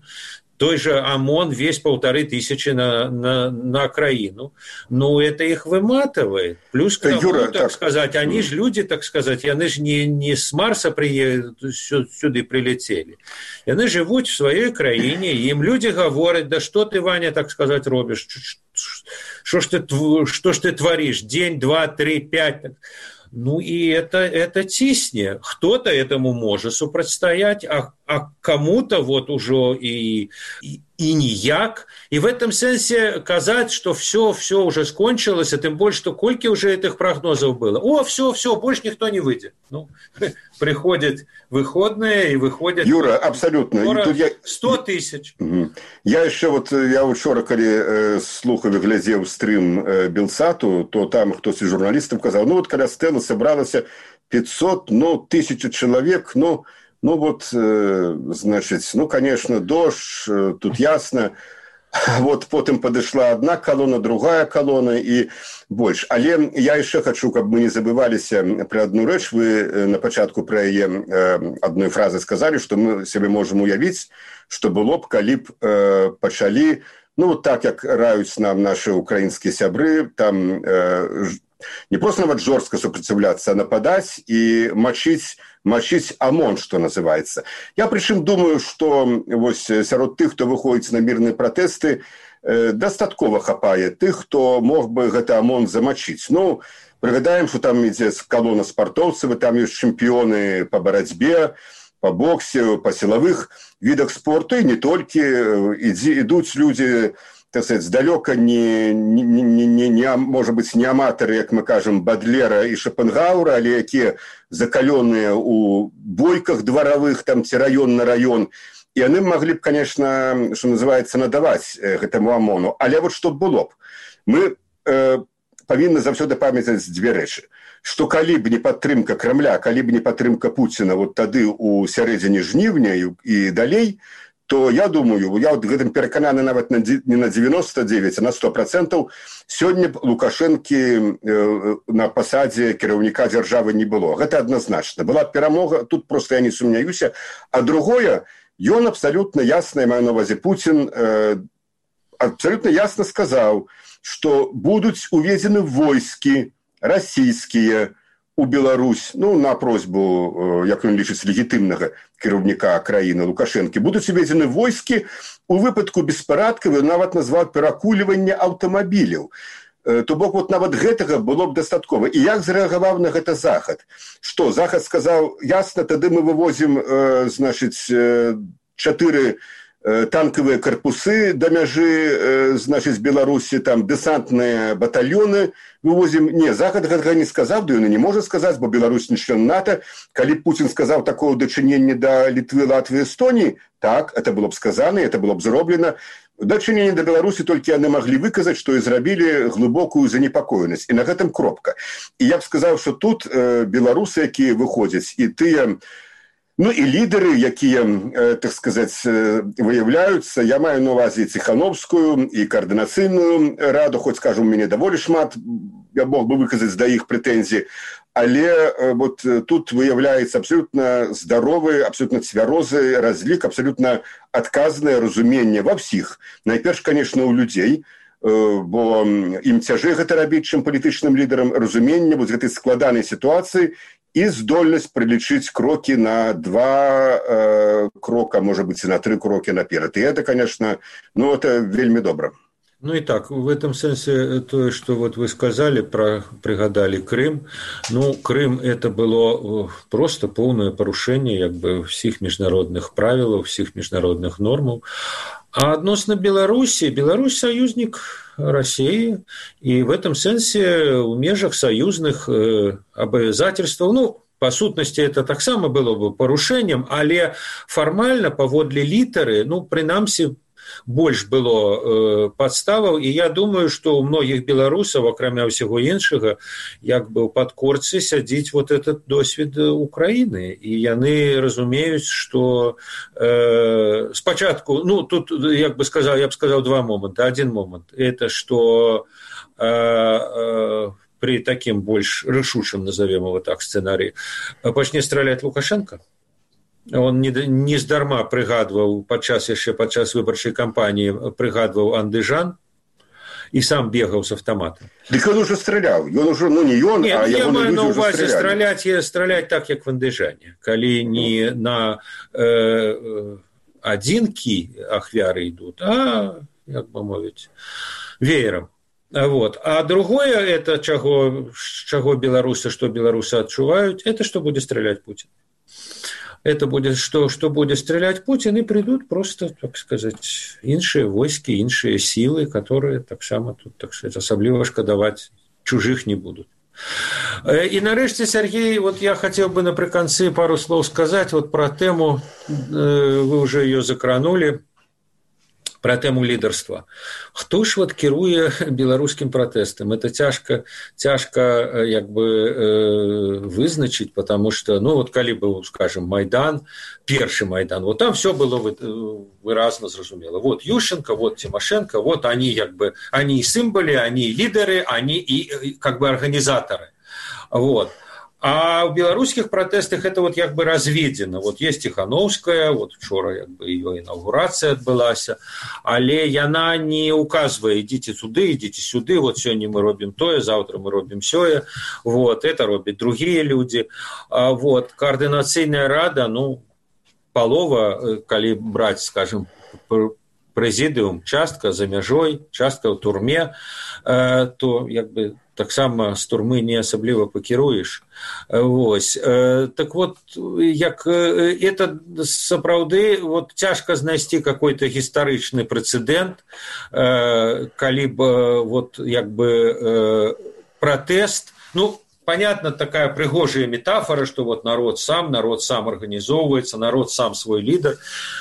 той же ОМОН весь 1500 на окраину. Ну, это их выматывает. Плюс к тому, Юра, так сказать, они же люди, так сказать, они же не с Марса сюда прилетели. Они живут в своей краине, им люди говорят, да что ты, Ваня, так сказать, робишь? Что ж ты творишь? День, 2, 3, 5... Ну, и это тисне. Кто-то этому может супрацьстаять, а кому-то вот уже и ніяк. И в этом сенсе казать, что все уже скончилось, а тем более, что кольки уже этих прогнозов было. О, все, больше никто не выйдет. Ну, приходят выходные и выходят... Юра, абсолютно. 100 тысяч. Я вчора, коли слухав і глядзеў стрим Белсату, то там хтось із журналістів казав, ну, от коли Стелла собралася 500, ну, 1000 человек, ну, вот, значит, ну, конечно, дождь, тут ясно. Вот потым падышла одна колонна, другая колонна и больше. Але я еще хочу, каб мы не забываліся про одну рэч. Вы на пачатку про яе одной фразы сказали, что мы себе можем уявить, что было б, калі б пачалі, ну, вот так, как раюць нам наши украинские сябры, там не просто нават жорстко супраціўляцца, а нападать и мочить ОМОН, что называется. Я причем думаю, что вось сярод тых, кто выходит на мирные протесты, дастаткова хапае тых, кто мог бы гэта ОМОН замочить. Ну, пригадаем, что там ідзе колонна спартовцев, там есть чемпионы по борьбе, по боксе, по силовых видах спорта, и не только. Идут люди, так сказать, здалёка может быть, не аматары, як мы кажем, Бадлера и Шопенгауэра, але якія закаленные у бойках дворовых, там, раён на раён. И они могли бы, конечно, что называется, надавать этому ОМОНу. Але вот что было б? Мы повинны заўсёды памятаць дзве рэчы. Што калі б не падтрымка Кремля, калі б не падтрымка Пуціна вот тады у сярэдзіне жніўня і далей, то я думаю, я вот гэтым перакананы нават не на 99, а на 100%, сёння б Лукашэнкі на пасадзе кіраўніка дзяржавы не было. Гэта адназначна. Была перамога, тут просто я не сумняюся. А другое, ён абсолютно ясно, я маю на увазе Путин, абсолютно ясно сказал, что будут уведены войски российские у Беларусь, ну, на просьбу, як ён лічыць, легітымнага кіраўніка краіны Лукашэнкі, будуць уведены войски у выпадку беспарадкаў, ён нават назваў перакульванне аўтамабіляў. То бок вот нават гэтага было б дастаткова. І як зрэагаваў на гэта Захад? Што, Захад сказаў, ясна, тады мы вывозім, значыць, 4 танковые корпусы до мяжи, значит, Беларуси, там, десантные батальоны вывозим. Не, Захад гэтага не сказал, да ён не может сказать, бо Беларусь не член НАТО. Калі Путин сказал такое дачыненне до Литвы, Латвии, Эстонии, так, это было бы сказано, это было бы зроблено. Дачыненне до Беларуси только они могли выказать, что и зрабілі глубокую занепокоенность. И на гэтым кропка. И я бы сказал, что тут белорусы, якія выходят, и тыя, ну, и лидеры, якія, так сказать, выявляются, я маю на увазе Ціхановскую и координацыйную раду, хоть, скажем, у меня довольно шмат, я мог бы выказать до их претензий, але вот тут выявляется абсолютно здоровый, абсолютно цвярозы разлік, абсолютно адказнае разуменне ва всіх. Найперш, конечно, у людей, бо ім цяжэй гэта рабіць, чым палітычным лідарам, разуменне вот гэтай складанай сітуацыі и здольность прилічыць кроки на 2 крока, может быть, и на 3 кроки наперед. И это, конечно, ну, это вельмі добра. Ну и так, в этом смысле то, что вот вы сказали, пригадали Крым. Ну, Крым это было просто полное порушение как бы всех международных правил, всех международных норм. А относно Беларуси, Беларусь союзник России, и в этом смысле в межах союзных обязательств, ну, по сутнасці это таксама было бы парушэннем, але фармальна паводле літары, ну, прынамсі, больш было падставаў, і я думаю, што ў многіх беларусаў, акрамя ўсяго іншага, як бы ў падкорцы сядзіць вот этот досвед Украіны, і яны разумеюць, што спачатку, ну, тут, як бы сказал, я б сказаў два моманты. Адзін момант, это што при таким больш рашучым, назовем его так, сцэнарыі, пачне страляць Лукашенко. Он не здарма прыгадваў яшчэ падчас выбарчай кампаніі прыгадваў Андыжан і сам бегаў з аўтаматам. Дык ён ужо страляў. Ён ужо, ну не ён, а я ягоны маю людзі на ўжо ўвазе стралялі. страляць так, як в Андыжане. Калі не на адзінкі ахвяры ідуць, а, як бы мовіць, веерам. Вот. А другое, это чаго беларусы, што беларусы адчуваюць, это што будзе страляць Путін. Это будет, что будет стрелять Путин, и придут просто, так сказать, іншыя войски, іншыя силы, которые так само тут, так сказать, особливо шкодовать чужих не будут. И нарэшце, Сергей, вот я хотел бы напрыканцы пару слов сказать вот про тему, вы уже ее закранули, про тему лідарства. Хто ж вот кіруе беларускім пратэстам? Это цяжка як бы вызначыць, потому что, ну вот калі быў, скажем, Майдан, першы Майдан, вот там все было выразна зразумела. Вот Ющенко, вот Тимошенко, вот они как бы, они и символы, они и лидеры, они и как бы организаторы. Вот. А в белорусских протестах это вот как бы разведено. Вот есть Тихановская, вот вчера как бы ее инаугурация отбылась, але яна не указывает, идите сюды, вот сегодня мы робим тое, завтра мы робим сёе, вот, это робят другие люди. Вот, координационная рада, ну, полова, коли брать, скажем, прэзідыум, частка за мяжой, частка ў турме, то як бы таксама з турмы не асабліва пакіруеш. Вось. Так вот, як это сапраўды вот цяжка знайсці какой-то гістарычны прэцэдэнт, калі б вот як бы пратэст, ну, понятно, такая пригожая метафора, что вот народ сам организовывается, народ сам свой лидер,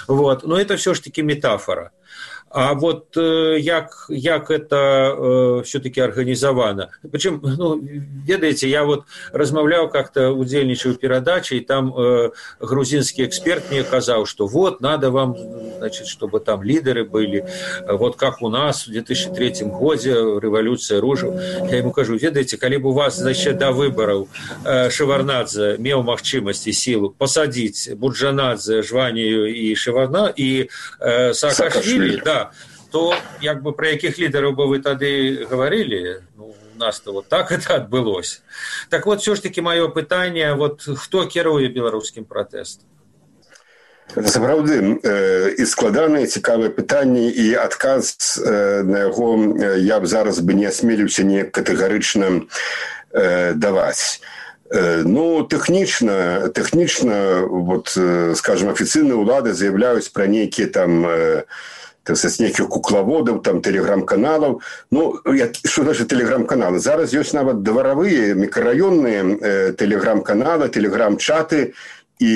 вот, но это все-таки метафора. А вот як это все-таки организовано? Причем, ну, ведаете, я вот размаўляў как-то, удзельнічаў перадачи, и там грузинский эксперт мне сказал, что вот, надо вам, значит, чтобы там лидеры были, вот как у нас в 2003 году революция ружаў. Я ему кажу, ведаете, калі б у вас, значит, до выборов Шеварднадзе меў магчымасць і силу посадить Буджанадзе, Жванію и Саакашвили, да, то як бы про якіх лідераў бы вы тады говорили, ну, у нас-то вот так это адбылось. Так вот, все ж таки маё пытанне, вот хто кіруе беларускім пратэстам? Сапраўды, і складанае, цікавае пытанне, і адказ на яго я б зараз бы не асмеліўся не катэгарычна даваць. Ну, тэхнічна, вот, скажем, афіцыйныя ўлады заяўляюць пра нейкія там нейкіх куклаводаў, там, тэлеграм-каналаў. Ну, што значыць тэлеграм-каналы? Зараз ёсць нават дваравыя, мікрараённыя тэлеграм-каналы, тэлеграм-чаты, і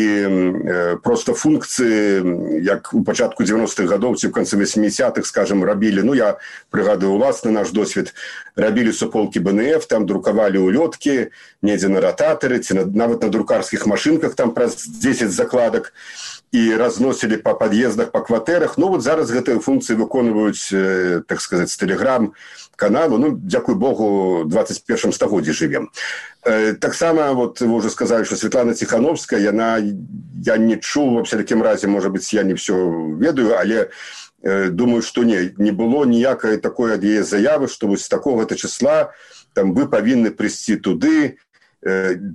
просто функцыі, як у пачатку 90-х гадоў ці ў канцы 80-х, скажем, рабілі, ну, я прыгадаю уласны наш досвед, рабілі суполкі БНФ, там друкавалі улёткі, недзе на рататары, ці нават на друкарскіх машынках, там праз 10 закладак, і разносілі па пад'ездах, па кватэрах. Ну, вот зараз гэтыя функцыі выконваюць, так сказаць, з тэлеграм-каналу. Ну, дзякуй Богу, в 21 стагоддзі жывем. Таксама, вот вы уже сказали, что Светлана Тихановская, я не чул, во всяком разе, может быть, я не все ведаю, але думаю, что не было ніякай такой ад яе заявы, что вот с такого-то числа там вы павінны прыйсці туды.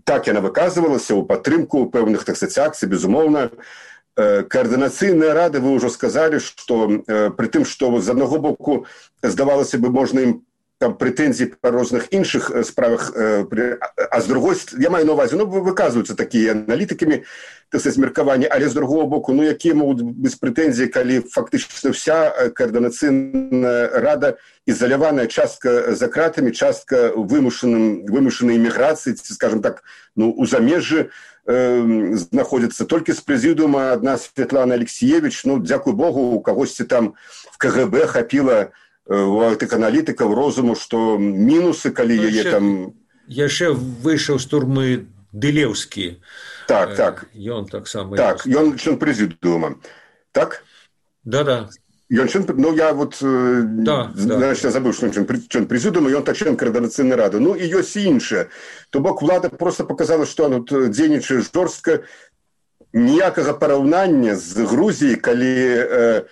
Так яна выказывалася ў падтрымку пэўных, так сказать, акцый, безумоўна. Координаційная рада, вы уже сказали, что при тым, что з одного боку здавалося бы, можна ім там прэтэнзій па розных іншых справах, а з другой, я маю на увазе, выказваюцца такія аналітыкамі, так сказать, меркаванні, але з другого боку, якія могуць быць прэтэнзіі, калі фактычна вся координаційная рада изоляваная, частка за кратамі, частка вымушанай эміграцыі, скажем так, у замежжы знаходзіцца. Толькі з прэзідыума адна Светлана Алексеевич, дзякуй Богу, у кагосьці там в КГБ хапіла у гэтых аналітыкаў розуму, што мінусы, калі яе там... Яшчэ выйшаў з турмы Дылеўскі. Так. Ён таксама... Так, ён член прэзідыума. Так? Да. Ён член... я значит, я забыў, што ён член прэзідыума, ён член координаційнай рады. І ёсць і іншае. То бок, улада просто показала, што она дзейнічае жорстка. Ніякага параўнання з Грузіяй, калі...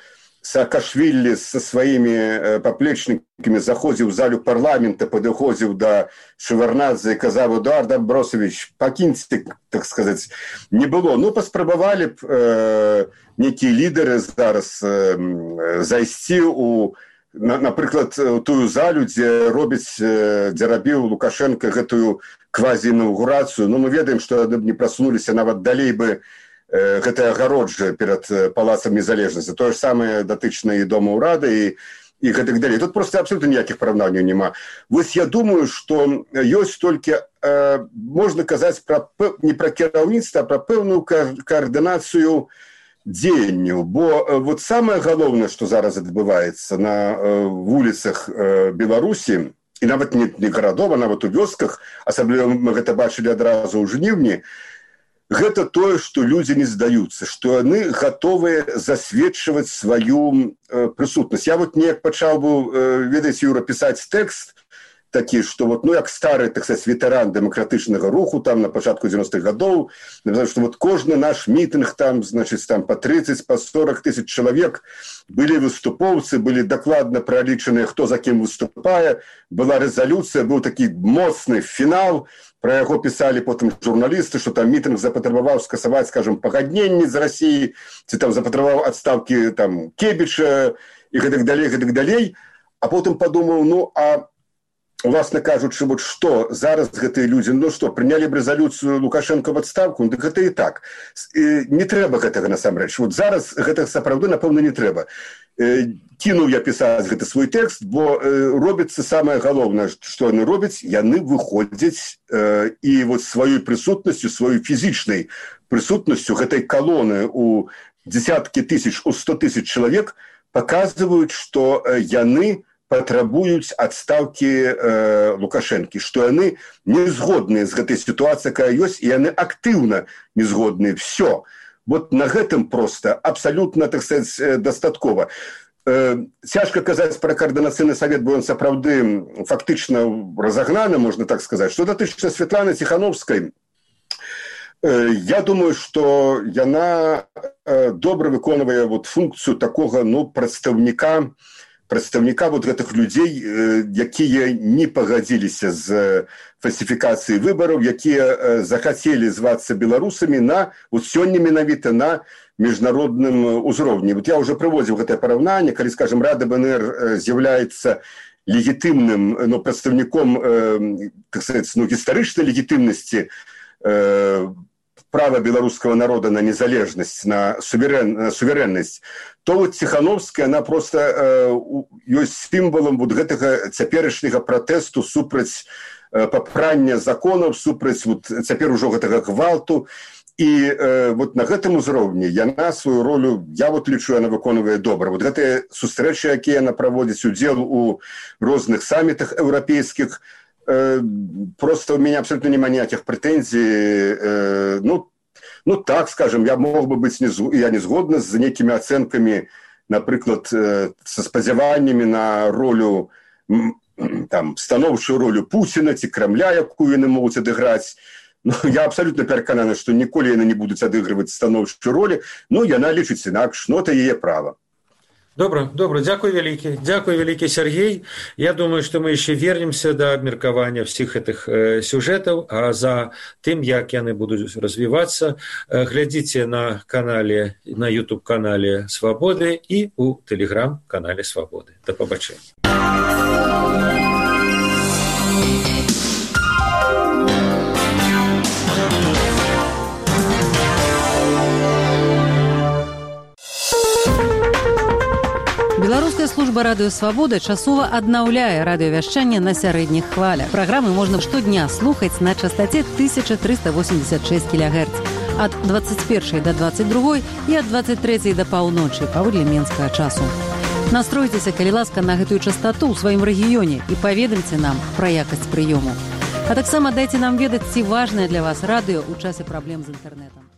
Саакашвілі со сваімі паплечнікамі заходзіў у залю парламента, падыходзіў да Шеварнадзе і казаў: Эдуард Абросавіч, пакіньце, так сказаць, не было. Паспрабавалі б нейкія лідары зараз зайсці у, напрыклад, у тую залю, дзе рабіў Лукашенко гэтую квазі-інаўгурацыю. Мы ведаем, што яны б не прасунуліся нават далей бы гэтая агароджа перад палацам незалежнасці. Тое ж самае датычна і дома ўрады і гэтак далей. Тут просто абсолютно ніякіх параўнанняў няма. Вось я думаю, што ёсць толькі, можна казаць не пра кіраўніцтва, а пра пэўную каардынацыю дзеянняў. Бо вот самае галоўнае, што зараз адбываецца на вуліцах Беларусі, і нават не гарадоў, а нават у вёсках, асабліва мы гэта бачылі адразу ў жніўні, гэта тое, што людзі не здаюцца, што яны гатовыя засведчваць сваю прысутнасць. Я вот неяк пачаў быў, ведаеце, Юра, пісаць тэкст такі, што як стары, так сказаць, ветэран дэмакратычнага руху там на пачатку 90-х гадоў, што кожны наш мітынг там, значыць, там па 30, па 40 тысяч чалавек, былі выступоўцы, былі дакладна пралічаныя, хто за кім выступае, была рэзалюцыя, быў такі моцны фінал. Пра яго пісалі потым журналісты, што там мітынг запатрабаваў скасаваць, скажем, пагадненні з Расіі, ці там запатрабаваў адстаўкі там Кебіча і гэтак далей. А потым падумаў, уласна кажучы, вот што зараз гэтыя людзі, прынялі б рэзалюцыю Лукашенко в адстаўку, дык гэта і так. Не трэба гэтага насамрэч. Вот зараз гэтага сапраўды, напэўна, не трэба. Кінуў я пісаць гэты свой тэкст, бо робіцца самае галоўнае, што яны робяць, яны выходзяць і вот сваёй прысутнасцю, сваёй фізічнай прысутнасцю гэтай калоны у дзесяткі тысяч, у 100 тысяч чалавек паказваюць, што яны патрабуюць адстаўкі Лукашэнкі, што яны не згодныя з гэтай сітуацыяй, якая ёсць, і яны актыўна не згодныя. Всё. Вот на гэтым просто абсолютно, так сказать, дастаткова. Цяжка казаць пра координацыйны савет, бо ён сапраўды фактычна разагнаны, можна так сказаць. Што датычна Светланы Ціхановскай, я думаю, што яна добра выконвае функцыю такога прадстаўніка вот гэтых людзей, якія не пагадзіліся з фальсіфікацыяй выбараў, якія захацелі звацца беларусамі сёння менавіта на міжнародным узроўні. Вот я уже прыводзіў гэтае параўнанне, калі, скажем, Рада БНР з'яўляецца легітымным прадстаўніком, так сказать, гістарычнай легітымнасці права беларускага народа на незалежнасць, на суверэннасць, то вот Ціхановская, она просто ёсць сімвалам вот гэтага цяперашняга пратэсту супраць папрання законаў, супраць цяпер ужо гэтага гвалту. І вот на гэтым узроўні яна сваю ролю, я лічу, яна выконвае добра. Вот гэтыя сустрэчы, якія яна праводзіць, удзел у розных самітах еўрапейскіх, просто у меня абсолютно няма ніякіх прэтэнзій. Так, скажем, я мог бы быть я не згодна з нейкімі ацэнкамі, напрыклад, са спадзяваннямі на ролю, станоўчую ролю Пуціна ці Крамля, якую яны могуць адыграць. Я абсолютно перакананы, што ніколі яны не будуць адыгрываць станоўчую ролі. Яна лічыць інакш, это яе права. Добро. Дякую великий, Сергей. Я думаю, что мы еще вернемся до обмеркования всех этих сюжетов, а за тем, как они будут развиваться, глядите на YouTube-канале «Свободы» и у Telegram-канале «Свободы». До побачення. Беларуская служба радыё «Свабода» часова аднаўляе радыёвяшчанне на сярэдніх хвалях. Праграмы можна штодня слухаць на частоце 1386 кГц ад 21 до 22 і ад 23 до паўночы паводле менскага часу. Настройцеся, калі ласка, на гэтую частоту ў сваім рэгіёне і паведамце нам пра якасць прыёму. А таксама дайце нам ведаць, ці важнае для вас радыё ў часе праблем з інтэрнэтам.